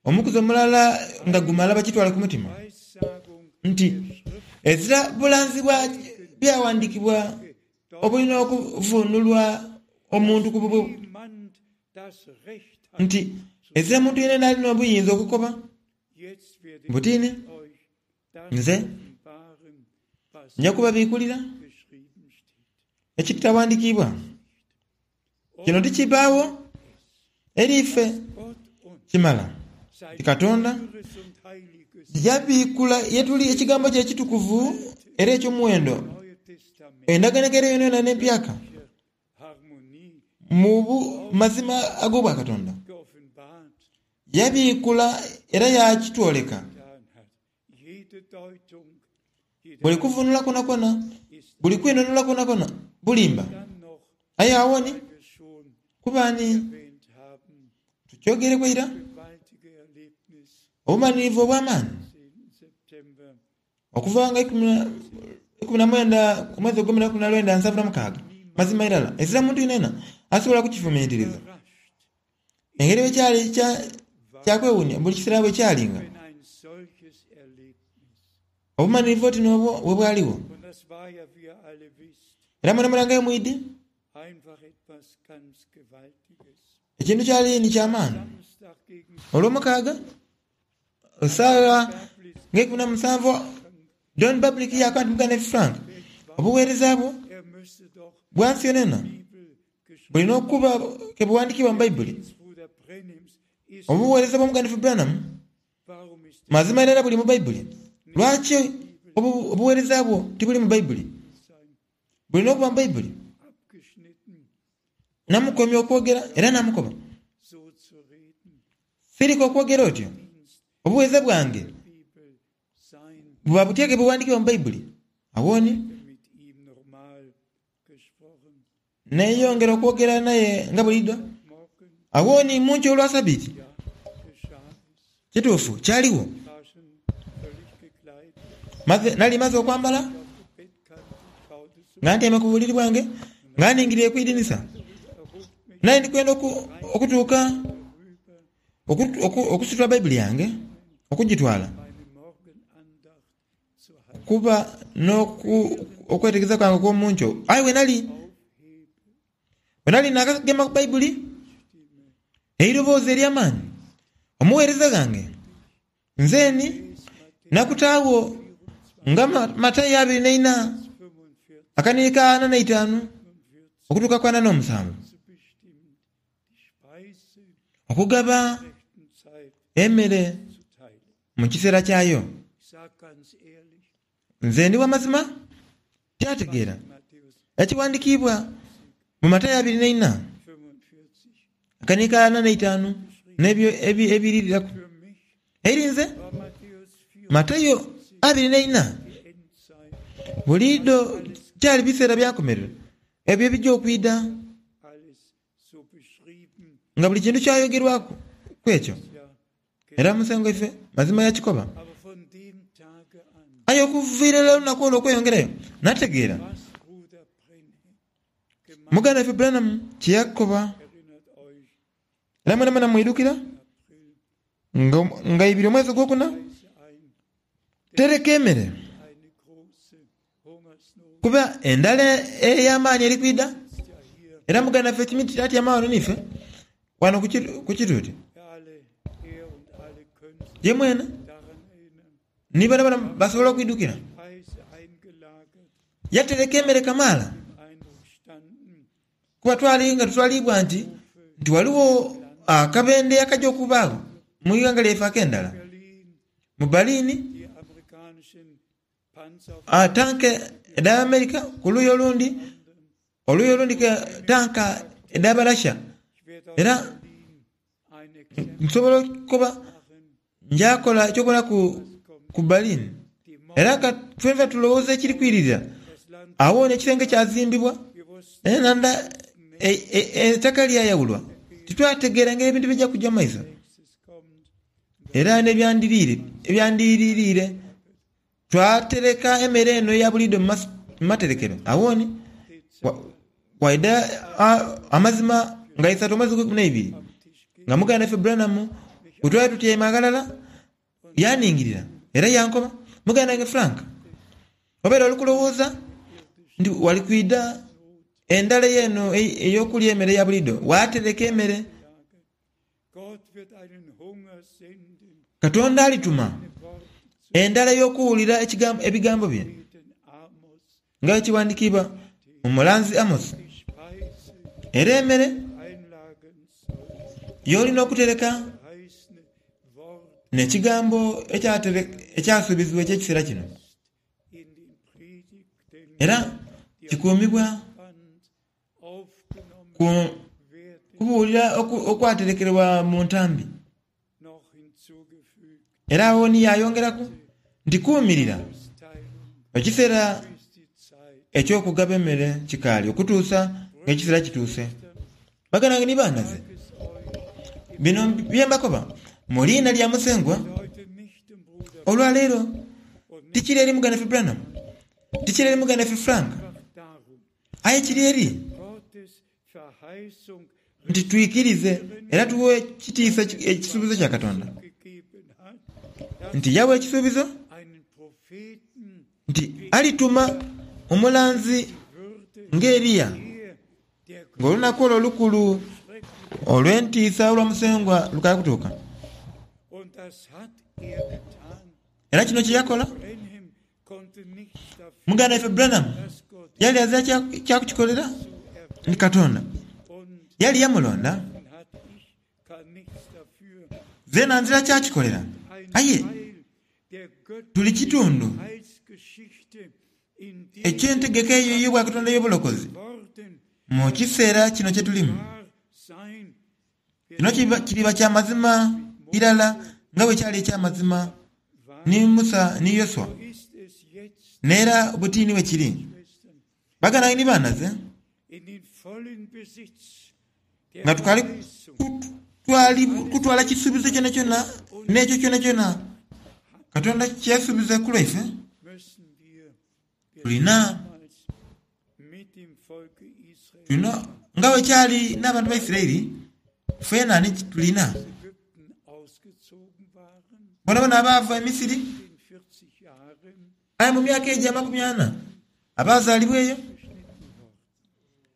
B: omukuzi omulala nga gumala bakitwale ku mutima nti ezira bulanzi bwa Byawandiikibwa obulina okuvuunulwa omuntu ku bubwe, nti ezira muntu yenayena ali n'obuyinza okukoba buti, Nze nja kubabiikulira ekitaghandikiibwa. Kino tikibaagho eri ife kimala nti Katonda yabiikula ye tuli Ekigambo kye ekitukuvu era eky'omuwendo, Endagaano Enkaire yonayona n'Empyaka, mu mazima ag'Obwakatonda. Yabiikula era yaakitwoleka. Buli kuvunula kwonakwo, buli kwinhonhola kwonakwo bulimba. Aye agho ni kuba ni tukyogereku eira, obumalirivu obw'amaani okuva nga 19 omwezi ogw'eikumi na lwenda 76, mazima irala ezira muntu yenayena asobola kukifumintiriza. Engeri bwe kyali kya kwewuunia buli kiseera bwe kyalinga. Obumanhirivu oti n'obwo bwe bwaligho. Era mwenamwena nga mwidhi, ekintu kyali ni kya maani. Olwomukaaga, saagha nga 17, Don Bablick yaakoba nti, Muganda waife Frank, obuweereza bwo bwa nsi yonayona bulina okuba ke bughandiikibwa mu Baibuli. Obuweereza bwa Muganda waife Branham Mazima irala buli mu Baibuli. Lwaki obuweereza bwo tibuli mu Baibuli? Bulina okuba mu Baibuli. Namukomya okwogera era namukoba, Sirika okwogera otyo. Obuweereza bwange buba butya ke bughandikibwa mu Baibuli? Agho ni neeyongera okwogera naye nga buliidho. Agho ni mu nkyo olwa Sabiiti, kituufu kyaligho, nali maze okwambala, nga ntyaime ku buliri bwange, nga ningiriire ku idinisa. Nali ndi kwenda okutuuka okusitula Baibuli yange okugitwala. Kuba n'okwetegereza kwange okw'omu nkyo. Aye bwe nali, bwe nali naakagema ku Baibuli, eiroboozi ery'amaani, Omugheereza ghange, nzeeni nakutaagho nga Matayo 24, akanhiriri ka 45 okutuuka ku 47. Okugaba emere mu kiseera kyayo. Nze ndi wa mazima, tyategeera ekiwandikiibwa mu Matayo 24 akaniika 45 n'ebyo ebiiririraku. Eri nze, Matayo 24 buliidho kyali biseera bya nkomerero ebyo ebija okwidha. Nga buli kintu kyayogerwaku ku ekyo, era Musengwa waife mazima yakikoba. Aye okuviira irala olunaku olwo okweyongerayo, nategeera muganda waife Branham kye yakoba. Era mwenamwena mwidhukira nga eibiri omwezi ogwokuna, tereka emere. Kuba endhala ey'amaani eri kwidha, era muganda waife Smith atyama ghano n'ife ghano ku kituuti. Ye mwene ni boonaboona basobola okwidhukira. Yatereka emere kamaala, kuba twali nga tutwaliibwa nti nti ghaligho akabendhe akaja okubaagho mu ighanga lyaife ak'endhala mu Berlin. Tanka edha America ku luuyi olundi, oluuyi olundi tanka edha Barasha. Era nsobola okukoba nja kola eky'okuboneraku ku Berlin. Era ka twenfena tulowooze ekiri kwiririra. Agho ni ekisenge kyazimbibwa, enhandha eitaka lyayawulwa. Titwategeera ngeri ebintu bija kuja mu maiso. Era n'ebyandiiriire twatereka emere eno eya buliidho mu materekero. Agho ni waidha amazima nga isatu omwezi ogweikumi n'eibiri, nga muganda waife Branham bwe twali tutyaime aghalala, yaningirira era yankoba, Muganda wange Frank, obaire oli kulowooza nti wali kwidha endhala eno ey'okulya emere eya buliidho, waatereka emere. Katonda alituma endhala ey'okuwulira ebigambo bye, nga bwe kiwandikiibwa mu mulanzi Amosi. Era emere y'olina okutereka n'ekigambo ekyasuubizibwa eky'ekiseera kino, era kikuumibwa. Ku kubuulira okwaterekerwa mu ntambi. Era agho ni yaayongeraku nti, Kuumirira ekiseera eky'okugaba emere kikaali okutuusa ng'ekiseera kituuse. Baganda bange ni banhaze, bino bye mbakoba mu liina lya Musengwa olwa leero. Tikiri eri muganda waife Branham, tikiri eri muganda waife Frank. Aye kiri eri nti twikirize era tughe ekitiisa ekisuubizo kya Katonda, nti yawa ekisuubizo nti alituma omulanzi nga Eliya, ng'olunaku olwo olukulu olw'entiisa olwa Musengwa lukaali kutuuka. Era kino kye yakola. Muganda waife Branham yali azira kya kukikolera ni Katonda. Yali yamulonda. Zeena nzira kya kikolera. Aye tuli kitundu eky'entegeka eyo ey'Obwakatonda ey'obulokozi mu kiseera kino kye tulimu. Kino kiriba kya mazima irala nga bwe kyali eky'amazima ni Musa ni Yoshua, n'era buti ni bwe kiri. Baganda bange ni banhaze, nga tukaali kutwala kisuubizo kyonakyona n'ekyo kyonakyona Katonda kye yasuubiza ku lwaife, tulina Tulina, nga bwe kyali n'abantu ba Isiraeli, feena ni tulina. Boonaboona abaava e Misiri, aye mu myaka egyo amakumi ana abaazaalibwa eyo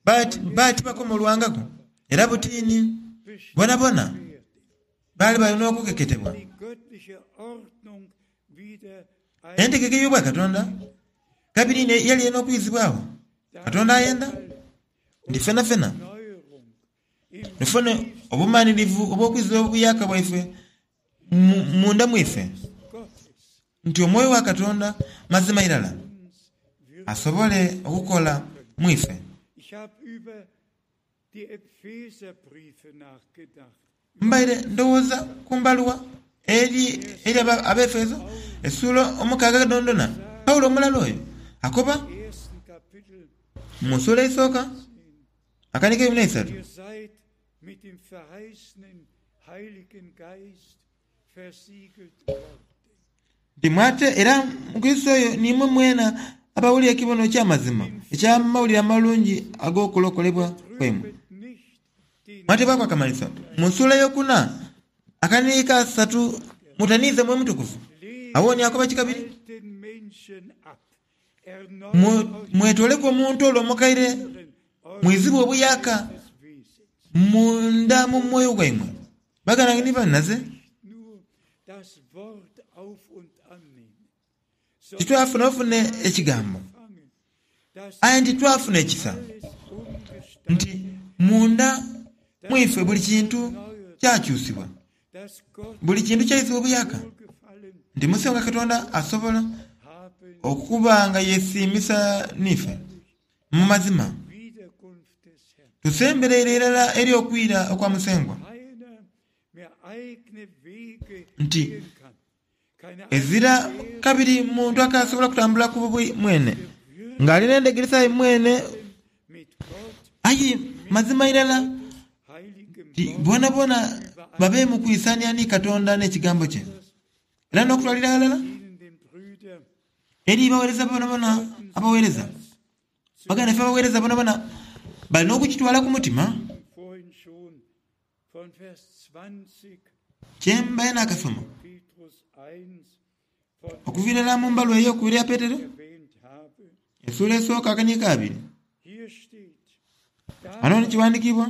B: baali tibakomolwangaku, era butiini boonaboona baali bali n'okukeketebwa. Entegeka ey'Obwakatonda kabiri yali erina okwizibwagho. Katonda ayenda nti fenafena tufune Obumanhirivu obw'okwiza obuyaaka bwaife munda mwife, nti Omwoyo wa Katonda mazima irala asobole okukola mu ife. Mbaire ndowooza ku mbaluwa eri eri Abaefeso esuula omukaaga dhondhona. Paulo omulala oyo akoba mu suula esooka akanigo eikumi n'eisatu. Nti mwate era mu Kurisito oyo n'imwe mwena abawulira ekibono eky'amazima eky'Amawulire Amalungi ag'okulokolebwa kwaimwe. Mwateebwaku akamanhiso mu nsuula eyokuna akaniiyi ka satu mutaniize Mwoyo Mutukuvu. Agho ni akoba ki kabiri? Mwetooleku omuntu ole omukaire mwizibwe obuyaaka munda mu mwoyo gwaimwe. Baganda bange ni banhinaze, titwafuna bufune ekigambo, aye nti twafuna ekisa nti munda mu ife buli kintu kyakyusibwa, buli kintu kyaizibwa obuyaaka, nti Musengwa Katonda asobola okuba nga yesiimisa n'ife. Mu mazima, tusembereire irala eri okwira okwa Musengwa, nti ezira kabiri muntu akaasobola kutambula ku bubwe mwene, ng'ali n'endhegeresa ye mwene. Aye mazima irala nti boonaboona babe mu kwisania ni Katonda n'Ekigambo kye, era n'okutwalira aghalala eri baweereza boonaboona abaweereza. Baganda baife abaweereza boonaboona bali n'okukitwala ku mutima. Kye mbaire naakasoma okuviira irala mu mbaluwa ey'okubiri eya Petero, esuula esooka akaniiko abiri. Ghano ni kighandikiibwa.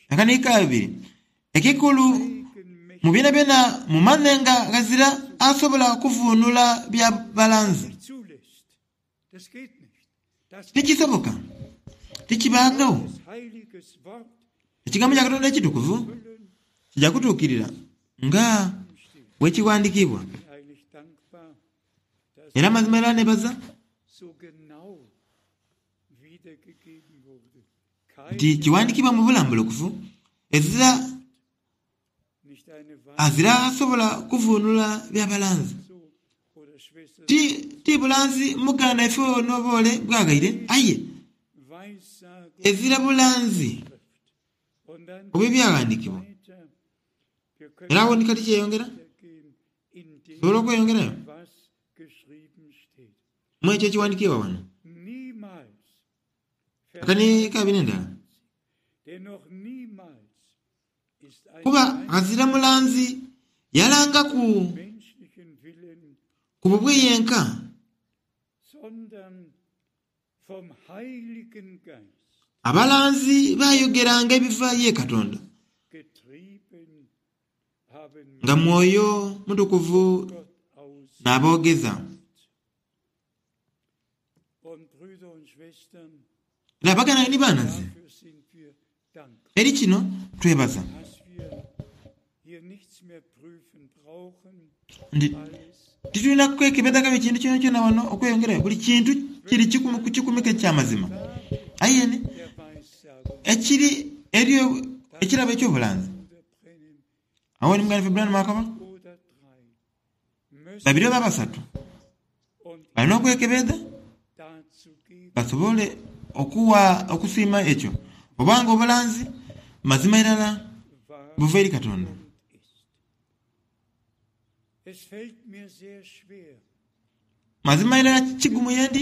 B: Akaniiko abiri, Ekikulu mu byonabyona mumanhe nga ghazira asobola kuvuunula bya balanzi. Tikisoboka, tikibaagho. Ekigambo kya Katonda ekitukuvu kija kutuukirira nga bwe kighandikiibwa. Era mazima era nebaza nti kighandikiibwa mu bulambulukufu, ezira azira asobola kuvuunula bya balanzi. Ti, ti bulanzi muganda ife ono oba ole bw'aghaire, aye ezira bulanzi obw'Ebyaghandiikibwa. Era agho ni kati kyeyongera, tusobola okweyongerayo mu ekyo ekighandikiibwa wano. Akani kabiri endala. Kuba ghazira mulanzi yalangaku ku bubwe yenka. Abalanzi baayogeranga ebiva ye Katonda, nga Mwoyo Mutukuvu n'aboogeza. Era baganda ni banhaze, eri kino twebaza nti titulina kwekebedha kabi kintu kyonakyona wano okweyongerayo. Buli kintu kiri kikumi ku kikumi eky'amazima. Aye ni ekiri eri ekirabo eky'obulanzi, agho ni muganda waife Branham akoba, Babiri oba basatu balina okwekebeedha basobole okuwa okusiima ekyo oba nga obulanzi mazima irala buva eri Katonda. Mazima irala kigumu yendi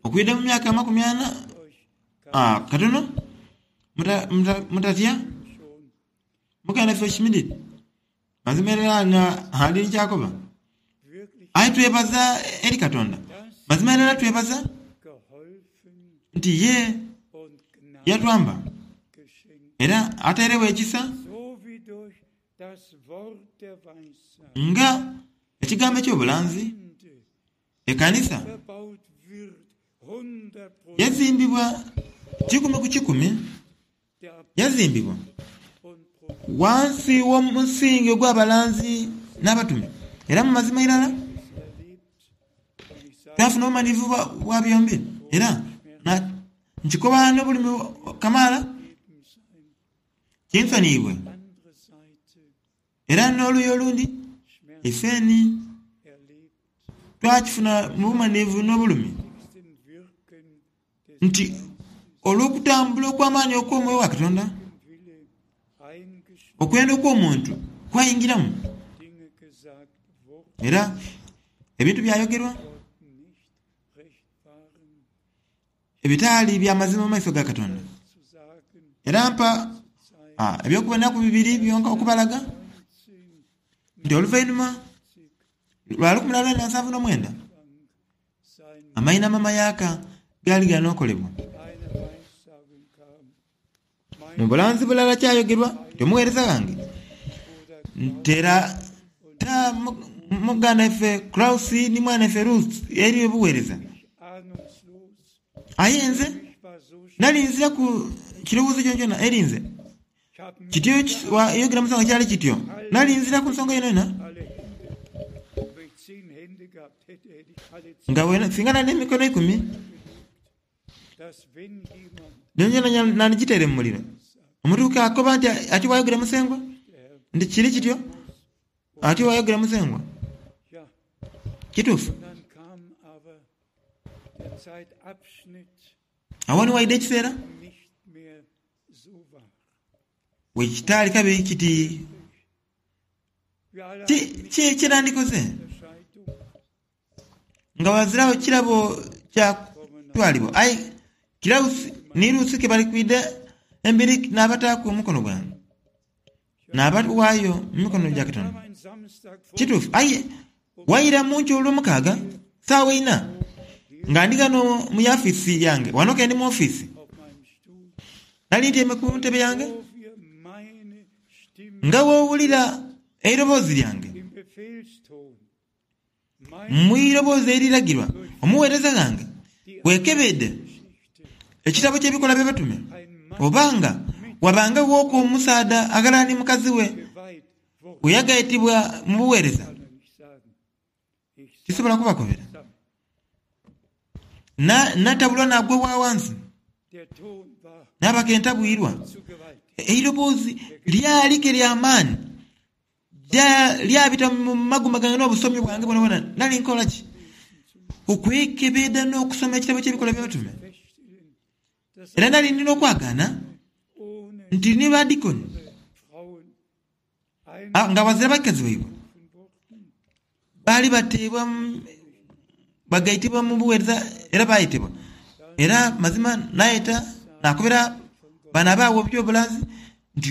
B: okwidha mu myaka amakumi ana. Katono mutatya. Muganda waife Schmidt mazima irala nga ali ni ky'akoba. Aye twebaza eri Katonda, mazima irala twebaza nti ye yatwamba era atairegho ekisa. Nga ekigambo eky'obulanzi, ekanisa yazimbibwa kikumi ku kikumi, yazimbibwa wansi w'omusingi ogw'abalanzi n'abatume. Era mu mazima irala twafuna obumanyirivu bwa byombi. Era nkikoba n'obulumi kamaala, kinsoniibwe. Era n'oluuyi olundi, ifeni twakifuna mu bumanyirivu n'obulumi nti olw'okutambula okw'amaani okw'omwoyo wa Katonda, okwenda okw'omuntu kwayingiramu era ebintu byayogerwa ebitaali bya mazima mu maiso ga Katonda. Era mpa eby'okubonaku bibiri byonka okubalaga nti oluvainhuma lwa 1979 amainhama amayaaka gaali gali n'okolebwa. Mu bulanzi bulala kyayogerwa nti omugheereza ghange ntera ta muganda ife Claus ni mwana ife Ruth eri obugheereza. Aye nze nali nziraku kirowoozo kyonakyona eri nze. Kityo yogera mu nsonga kyali kityo. Nali nziraku nsonga yonayona. Nga singa nali n'emikono eikumi, Gyonagyona nandigitaire mu muliro. Omutuuka akoba nti, Atyo bw'ayogera Musengwa. Nti kiri kityo, atyo bw'ayogera Musengwa. Kituufu. Agho ni waidha ekiseera we kitaali kabiri kiti Ki kye nandikoze? Nga ghaziragho kirabo kya kutwalibwa. Aye Kirausi ni Lusi ke bali kwidha emberi naabataaku omukono gwange, naabaghaayo mu mikono gya Katonda. Kituufu. Aye waira mu nkyo olwomukaaga, saawa eina, nga ndi ghano mu yafisi yange, ghano ke ndi mu ofiisi. Nali ntyaime ku ntebe yange, nga bw'owulira eiroboozi lyange. Mu iroboozi eriragirwa omugheereza ghange, weekebeedhe ekitabo ky'Ebikolwa by'Abatume, oba nga wabangaghooku omusaadha aghalala ni mukazi we bwe yagaitibwa mu bugheereza. Tisobola kubakobera. Natabulwa naagwa bwa ghansi, naaba ke ntabwirwa. Eiroboozi lyali ke lya maani. Lyabita mu magumba gange n'obusomi bwange bwonabwona. Nali nkola ki? Okwekebeedha n'okusoma ekitabo ky'Ebikolwa by'Abatume. Era nali ndi n'okwagaana nti ni badikoni nga ghazira bakazi baibwe baali bateebwa bagaitibwa mu bugheereza era baayetebwa. Era mazima naayeta naakobera bano abaagho eby'obulanzi nti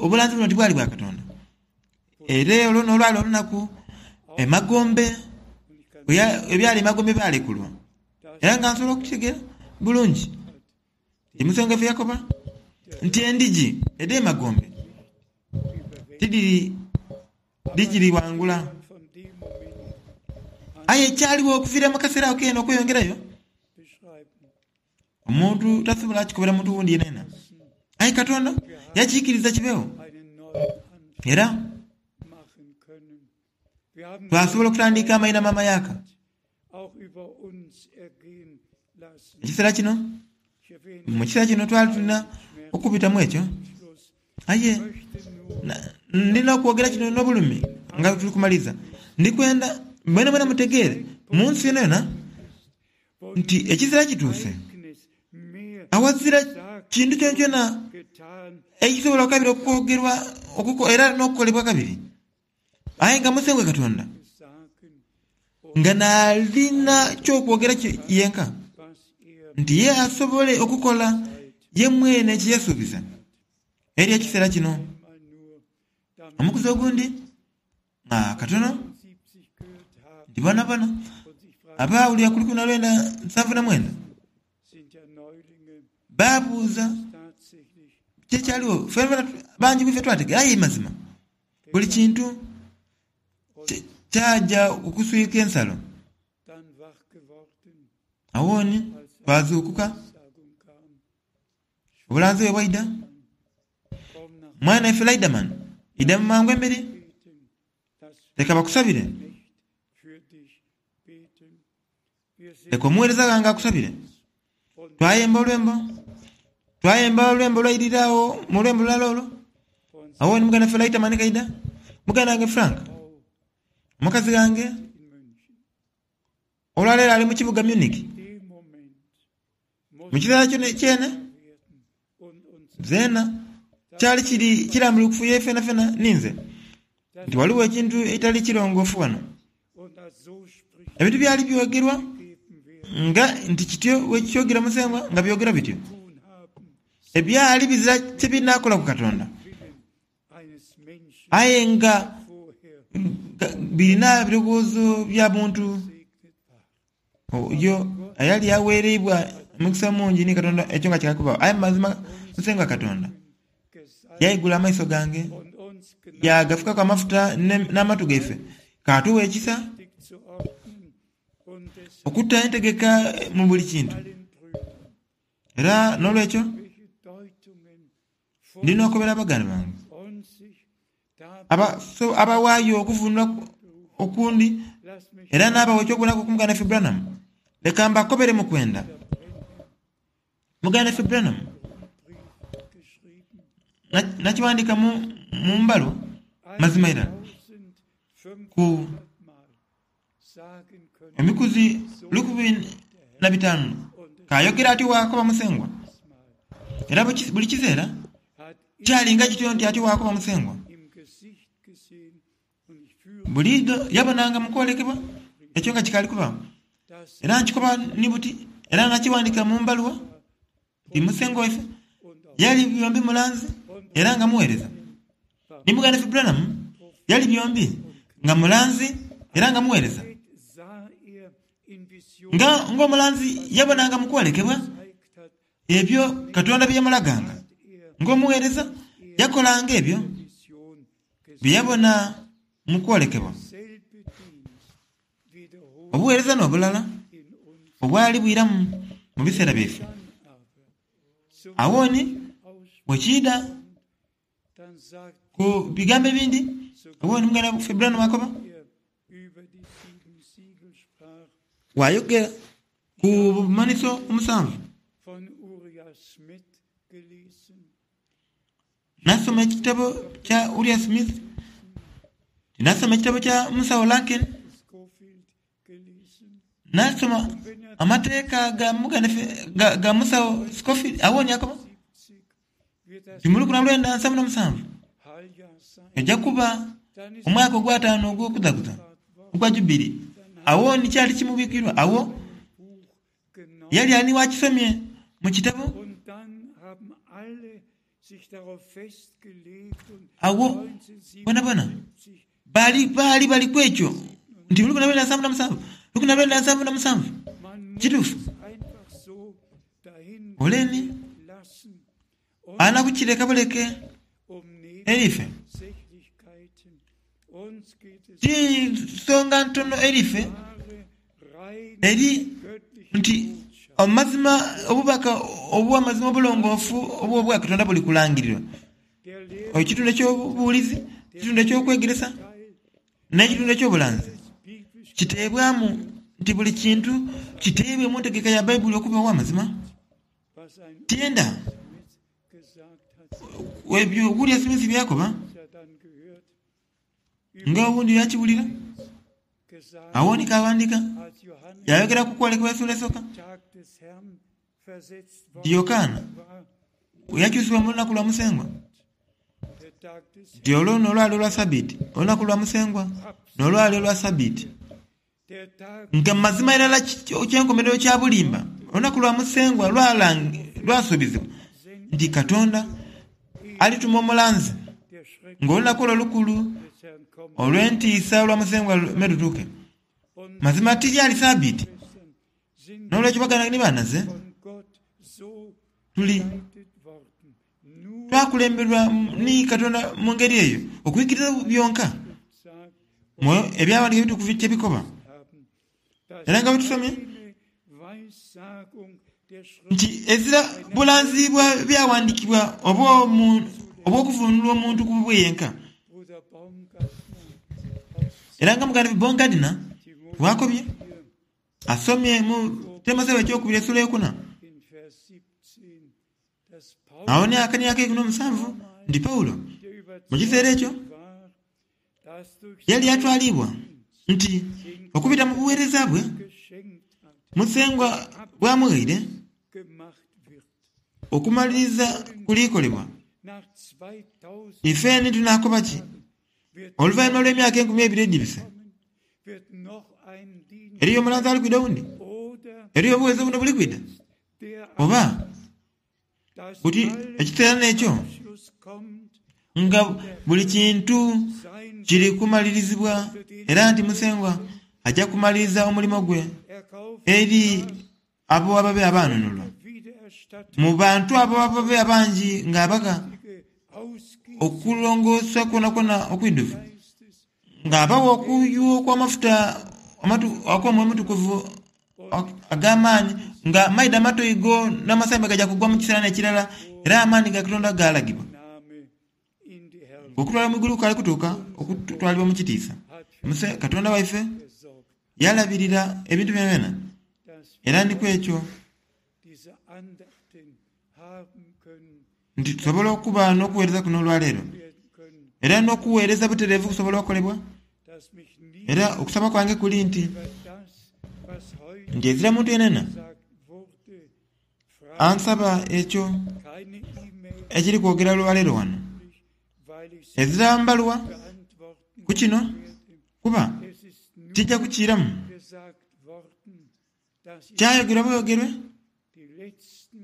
B: obulanzi buno tibwali bwa Katonda. Era olwo n'olwali olunaku emagombe ebyali emagombe byalekulwa. Era nga nsobola okukitegeera bulungi nti Musengwa ife yakoba nti endhigi edh'emagombe tidhiri dhikirighangula. Aye ekyaligho okuviira mu kaseera ako keene okweyongerayo, omuntu tasobola kukikobera muntu wundi yenayena. Aye Katonda yakiikiriza kibeegho, era twasobola okutandika amainhama amayaaka. Ekiseera kino, mu kiseera kino twali tulina okubitamu ekyo, aye ndina okwogera kino n'obulumi nga tuli kumaliriza. Ndi kwenda mwenamwena mutegeere mu nsi yonayona nti ekiseera kituuse awazira kintu kyonakyona ekisobola kabiri okwogerwa era n'okukolebwa kabiri. Aye nga Musengwa Katonda nga n'alina ky'okwogera yenka, nti ye asobole okukola ye mwene kye yasuubiza eri ekiseera kino. Omukuzi ogundi nga katono nti boonaboona abaawulira ku 1979 baabuuza kiki ekyaligho. Fenafena bangi ku ife twategeera aye mazima. Buli kintu kyaja okuswika ensalo. Awooni twazuukuka, obulanzi bwe bwaidha. Mwana ife Laiderman, idha mu mangu emberi. Leka bakusabire. Leka omuweereza ghange akusabire. Twayemba olwembo. Twayemba olwembo lwairira agho mu lwembo lulala olwo. Agho ni muganda waffe Lighterman kaidha. Muganda wange Frank, omukazi ghange, olwaleero ali mu kibuga Munich. Mu kiseera kino kyene, zeena kyali kiri kirambulukufu ye fenafena ni nze nti ghaligho ekintu ekitali kirongoofu ghano. Ebintu byali byogerwa nga nti kityo bwe kyogera Musengwa nga byogerwa bityo, ebyali bizira kye binaakola ku Katonda, aye nga birina birowoozo bya buntu. Oyo eyali agheereibwa omukisa omungi ni Katonda ekyo nga kikaali kubaagho. Aye mu mazima Musengwa Katonda yaigula amaiso gange, yaagafukaku amafuta n'amatu gaife, kaatugha ekisa okuta entegeka mu buli kintu. Era n'olwekyo ndi n'okobera baganda bange abawaayo okuvunula okundi era n'abawa eky'okubonaku ku muganda waife Branham. Leka mbakobere mu kwenda. Muganda waife Branham nakiwandiika mu mbalwa mazima irala ku emikuzi 1500 k'ayogera atyo bw'akoba Musengwa. Era buli kiseera kyalinga kityo nti atyo bw'akoba Musengwa. Buliidho yabonanga mu kwolekebwa ekyo nga kikaali kubaagho. Era nkikoba ni buti, era nakiwandiika mu mbaluwa, nti Musengwa waife yali byombi mulanzi era nga muweereza. Ni muganda waife Branham yali byombi nga mulanzi era nga muweereza. Nga ng'omulanzi yabonanga mu kwolekebwa ebyo Katonda bye yamulaganga, ng'omuweereza yakolanga ebyo bye yabona mu kwolekebwa. Obuweereza n'obulala obwali bwiramu mu biseera byaife. Agho ni bwe kiidha ku bigambo ebindi, agho ni muganda waife Branham akoba, bw'ayogera ku bumanhiso omusanvu. Nasoma ekitabo kya Uriah Smith, tinasoma ekitabo kya Musawo Larkin, nasoma amateeka ga muganda ga, ga Musawo Scofield. Agho ni akoba nti mu lukumi na lwenda nsanvu na musanvu eja kuba omwaka ogwataanu ogw'okudhakuza ogwa Jubili. Agho ni kyali kimubwikirwa. Agho Yali ani wakisomye mu kitabo? Agho bonabona baali baali bali ku ekyo nti 1977, 1977. Kituufu. Ole ni ana kukireka buleke eri ife. Ti nsonga ntono eri ife eri nti amazima, obubaka obw'amazima obulongoofu obw'Obwakatonda buli kulangirirwa. Ekitundu eky'obubuulizi, ekitundu eky'okwegeresa, n'ekitundu eky'obulanzi kiteebwamu nti buli kintu kiteebwe mu ntegeka ya Baibuli okuba ow'amazima. Tyenda ebyo William Smith by'akoba, nga owundi yakiwulira. Agho ni kaaghandiika, yaayogera ku kwolekebwa esula esooka, nti Yokaana bwe yakyusibwa mu lunaku lwa Musengwa, nti olwo n'olwali olwa Sabiiti, olunaku lwa Musengwa n'olwali olwa Sabiiti. Nga mazima irala eky'enkomerero kya bulimba, olunaku lwa Musengwa lwasuubizibwa nti Katonda alituma omulanzi ng'olunaku olwo olukulu olw'entiisa olwa Musengwa me lutuuke. Mazima tilyali Sabiiti. N'olwekyo baganda ni banaze, tuli. Twakulemberwa ni Katonda mu ngeri eyo, okwikiriza byonka mu Ebyawandiikibwa Ebitukuvu kye bikoba. Era nga bwe tusomye nti ezira bulanzi bwa Byawandiikibwa oba obw'okuvuunulwa omuntu ku bubwe yenka. Era nga muganda waffe Baumgardner bw'akobye, asomye mu Timotheo eky'Okubiri esula eyokuna, Agho ni akania ak'eikumi n'omusanvu nti Paulo mu kiseera ekyo yali atwaliibwa nti okubita mu bugheereza bwe Musengwa bw'amughaire okumaliriza kulikolebwa. Ife ni tunaakoba ki oluvainhuma lw'emyaka enkumi eibiri edhibise? Eriyo omulanzi ali kwidha owundi? Eriyo obugheereza obundi obuli kwidha? Oba buti ekiseera n'ekyo nga buli kintu kiri kumalirizibwa, era nti Musengwa aja kumaliriza omulimo gwe eri abo ababe abaanunulwa. Mu bantu abo ababe abangi ng'abagha okulongoosa kwonakwona okwidhuvu, ng'abagha okuyuwa okw'amafuta ak'Omwoyo Omutukuvu ag'amaani, nga maidha amatoigo n'amasambi gaja kugwa mu kiseera n'ekirala, era amaani ga Katonda gaalagibwa. Ng'okutwalibwa mu igulu kukaali kutuuka, okutwalibwa mu kitiisa, Muse Katonda waife yalabirira ebintu byonabyona, era ni ku ekyo nti tusobola okuba n'okuweereza kuno olwaleero, era n'okuweereza butereevu kusobola okolebwa. Era okusaba kwange kuli nti, nti ezira muntu yenayena ansaba ekyo ekiri kwogera olwaleero wano. Ezira mbaluwa ku kino, kuba tija kukiiramu. Kyayogerwa bweyogerwe,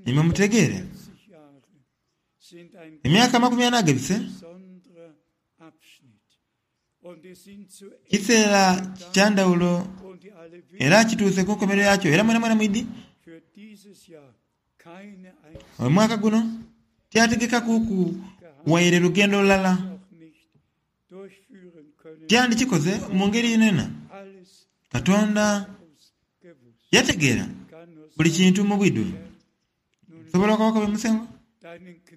B: imwe mutegeere. Emyaka amakumi ana agabise, kiseera kya ndhawulo era kituuse ku nkomerero yakyo era mwenamwena mwidhi. Omwaka guno tyategekakuuku waire lugendo lulala. Tyandikikoze mu ngeri yonayona. Katonda yategeera buli kintu mu bwidhuvu. Nsobola okukoba Musengwa?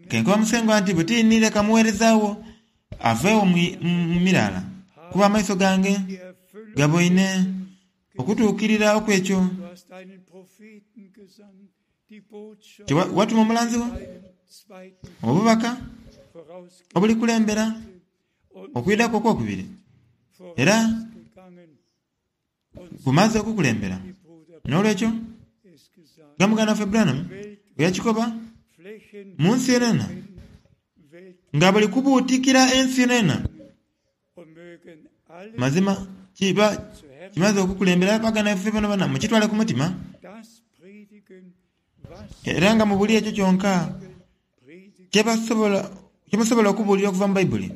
B: Ke nkoba Musengwa nti, Buti ni leka mugheereza wo aveegho mu miraala, kuba amaiso gange gaboine okutuukirira okw'ekyo kye watuma omulanzi wo, obubaka obulikulembera okwidha kwo okwokubiri, era Bumaze okukulembera. N'olwekyo, nga muganda waffe Branham bwe yakikoba, mu nsi yonayona, nga buli kubuutikira ensi yonayona, mazima kiba kimaze okukulembera baganda baife bonabona. Mukitwale ku mutima, era nga mubulire ekyo kyonka kye musobola okubuulira okuva mu Baibuli.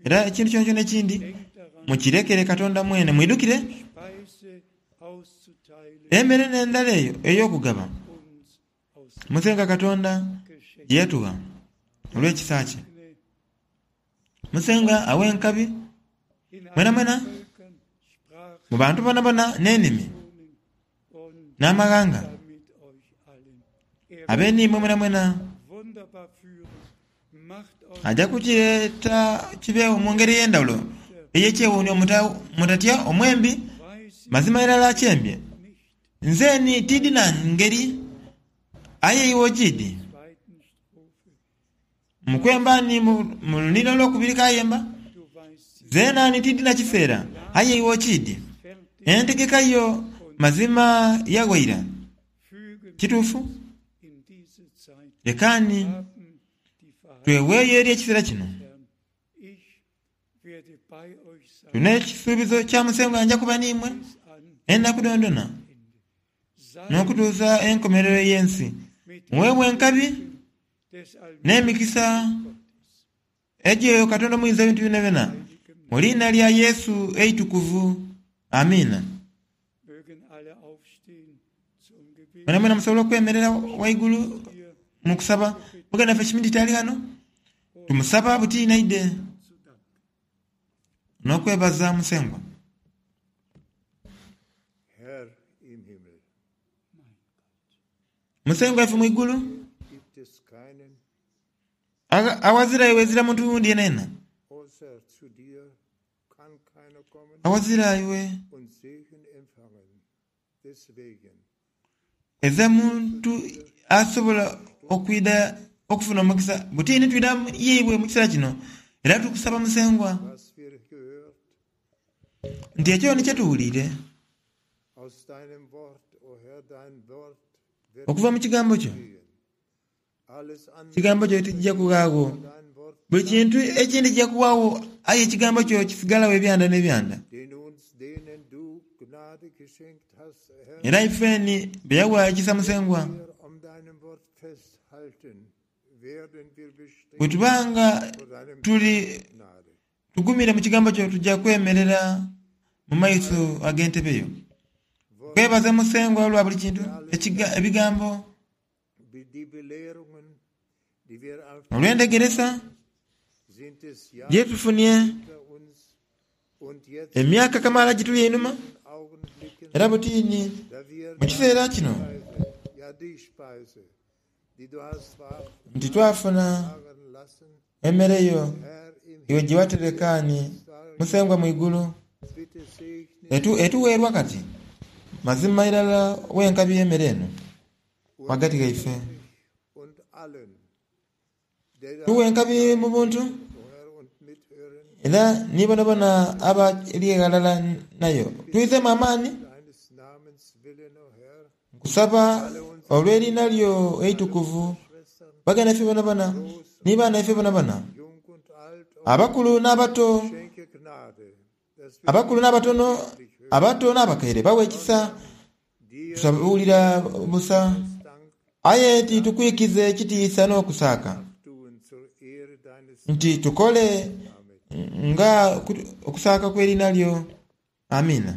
B: Era ekintu kyonakyona ekindi mukirekere Katonda mwene. Mwidhukire emere n'endhala eyo ey'okugaba, Musengwa Katonda gye yatugha olw'ekisa kye. Musengwa aghe enkabi mwenamwena mu bantu boonaboona n'enimi n'amaghanga, abe n'imwe mwenamwena. Aja kukireeta kibeegho mu ngeri ey'endhawulo ey'ekyewuunhio. Mutatya omwembi, mazima irala akyembye. Nze ni tiidhi na ngeri, aye iwe ogiidhi. Mu kwemba ni mu lunhiliro olwokubiri kayemba, Zeena ni tiidhi na kiseera, aye iwe okiidhi. Entegeka yo mazima yagho ira. Kituufu? Leka ni tweweeyo eri ekiseera kino. Tulina ekisuubizo kya Musengwa, Nja kuba n'imwe enaku dhoonadhoona n'okutuusa enkomerero y'ensi. Muweebwe enkabi n'emikisa egy'oyo Katonda Omuyinza w'ebintu byonabyona, mu liina lya Yesu eitukuvu. Amiina. Mwenamwena musobola okwemerera waigulu. mu kusaba. Muganda waffe Schmidt ali ghano? Tumusaba buti naide n'okwebaza Musengwa.
A: Herr im Himmel,
B: Musengwa ife mu igulu,
A: gibt es keinen
B: awazira iwe ezira muntu wundi yenayena.
A: außer zu dir kann keiner kommen
B: Awazira iwe
A: und Segen empfangen. Deswegen
B: ezira muntu asobola okwida okufuna omukisa. Buti ni twida yeibwe mu kiseera kino era tukusaba Musengwa
A: was wir gehört
B: nti ekyo ni kyetuwulire
A: aus deinem Wort, o Herr, dein Wort wird
B: okuva mu kigambo kyo.
A: gehen. Alles andere
B: Kigambo kyo tijja kughaawo.
A: dein Wort,
B: Buli kintu ekindi kijja kuwaawo, aye ekigambo kyo kisigalawo ebyanda n'ebyanda.
A: den uns, denen du Gnade geschenkt hast, Herr,
B: Era ifeni bye yawa ekisa Musengwa,
A: wir um deinem Wort festhalten, werden wir bestehen
B: bwe tubanga
A: vor deinem
B: tuli
A: Gnade.
B: tugumire mu kigambo kyo tujja kwemerera mu maiso ag'entebe yo. Kwebaza Musengwa olwa buli kintu, ebigambo
A: Die Belehrungen, die wir auf
B: olw'endegeresa
A: sind es ja
B: gyetufunye
A: hinter uns und jetzt
B: emyaka kamaala gituli einhuma,
A: Augenblicken,
B: era butiini
A: da wir
B: mu kiseera kino
A: Speise, ja die Speise, die du hast
B: nti twafuna
A: wagen lassen,
B: emmere yo
A: Herr im
B: iwe gye waterekaani Musengwa mu igulu
A: bitte segne
B: etuweerwa kati mazima irala wenkabi y'emmere eno wagati gaife.
A: und allen, der da
B: Tuwa enkabi mu buntu
A: o Herr und mithören
B: era ni bonabona abali eghalala nayo tuizemu amaani.
A: deines Namens willen, o Herr,
B: Nkusaba olw'erina lyo eitukuvu
A: Schwestern,
B: baganda ife bonabona ni baana ife bonabona
A: jung und alt, o
B: abakulu n'abato
A: schenke Gnade, dass wir
B: abakulu n'abatono abato n'abakaire bawa ekisa
A: dir
B: tusabuwulira busa
A: Dank
B: aye titukwikize ekitiisa n'okusaaka
A: tun zur Ehre deines
B: nti tukole nga okusaaka kw'erina lyo. Amina.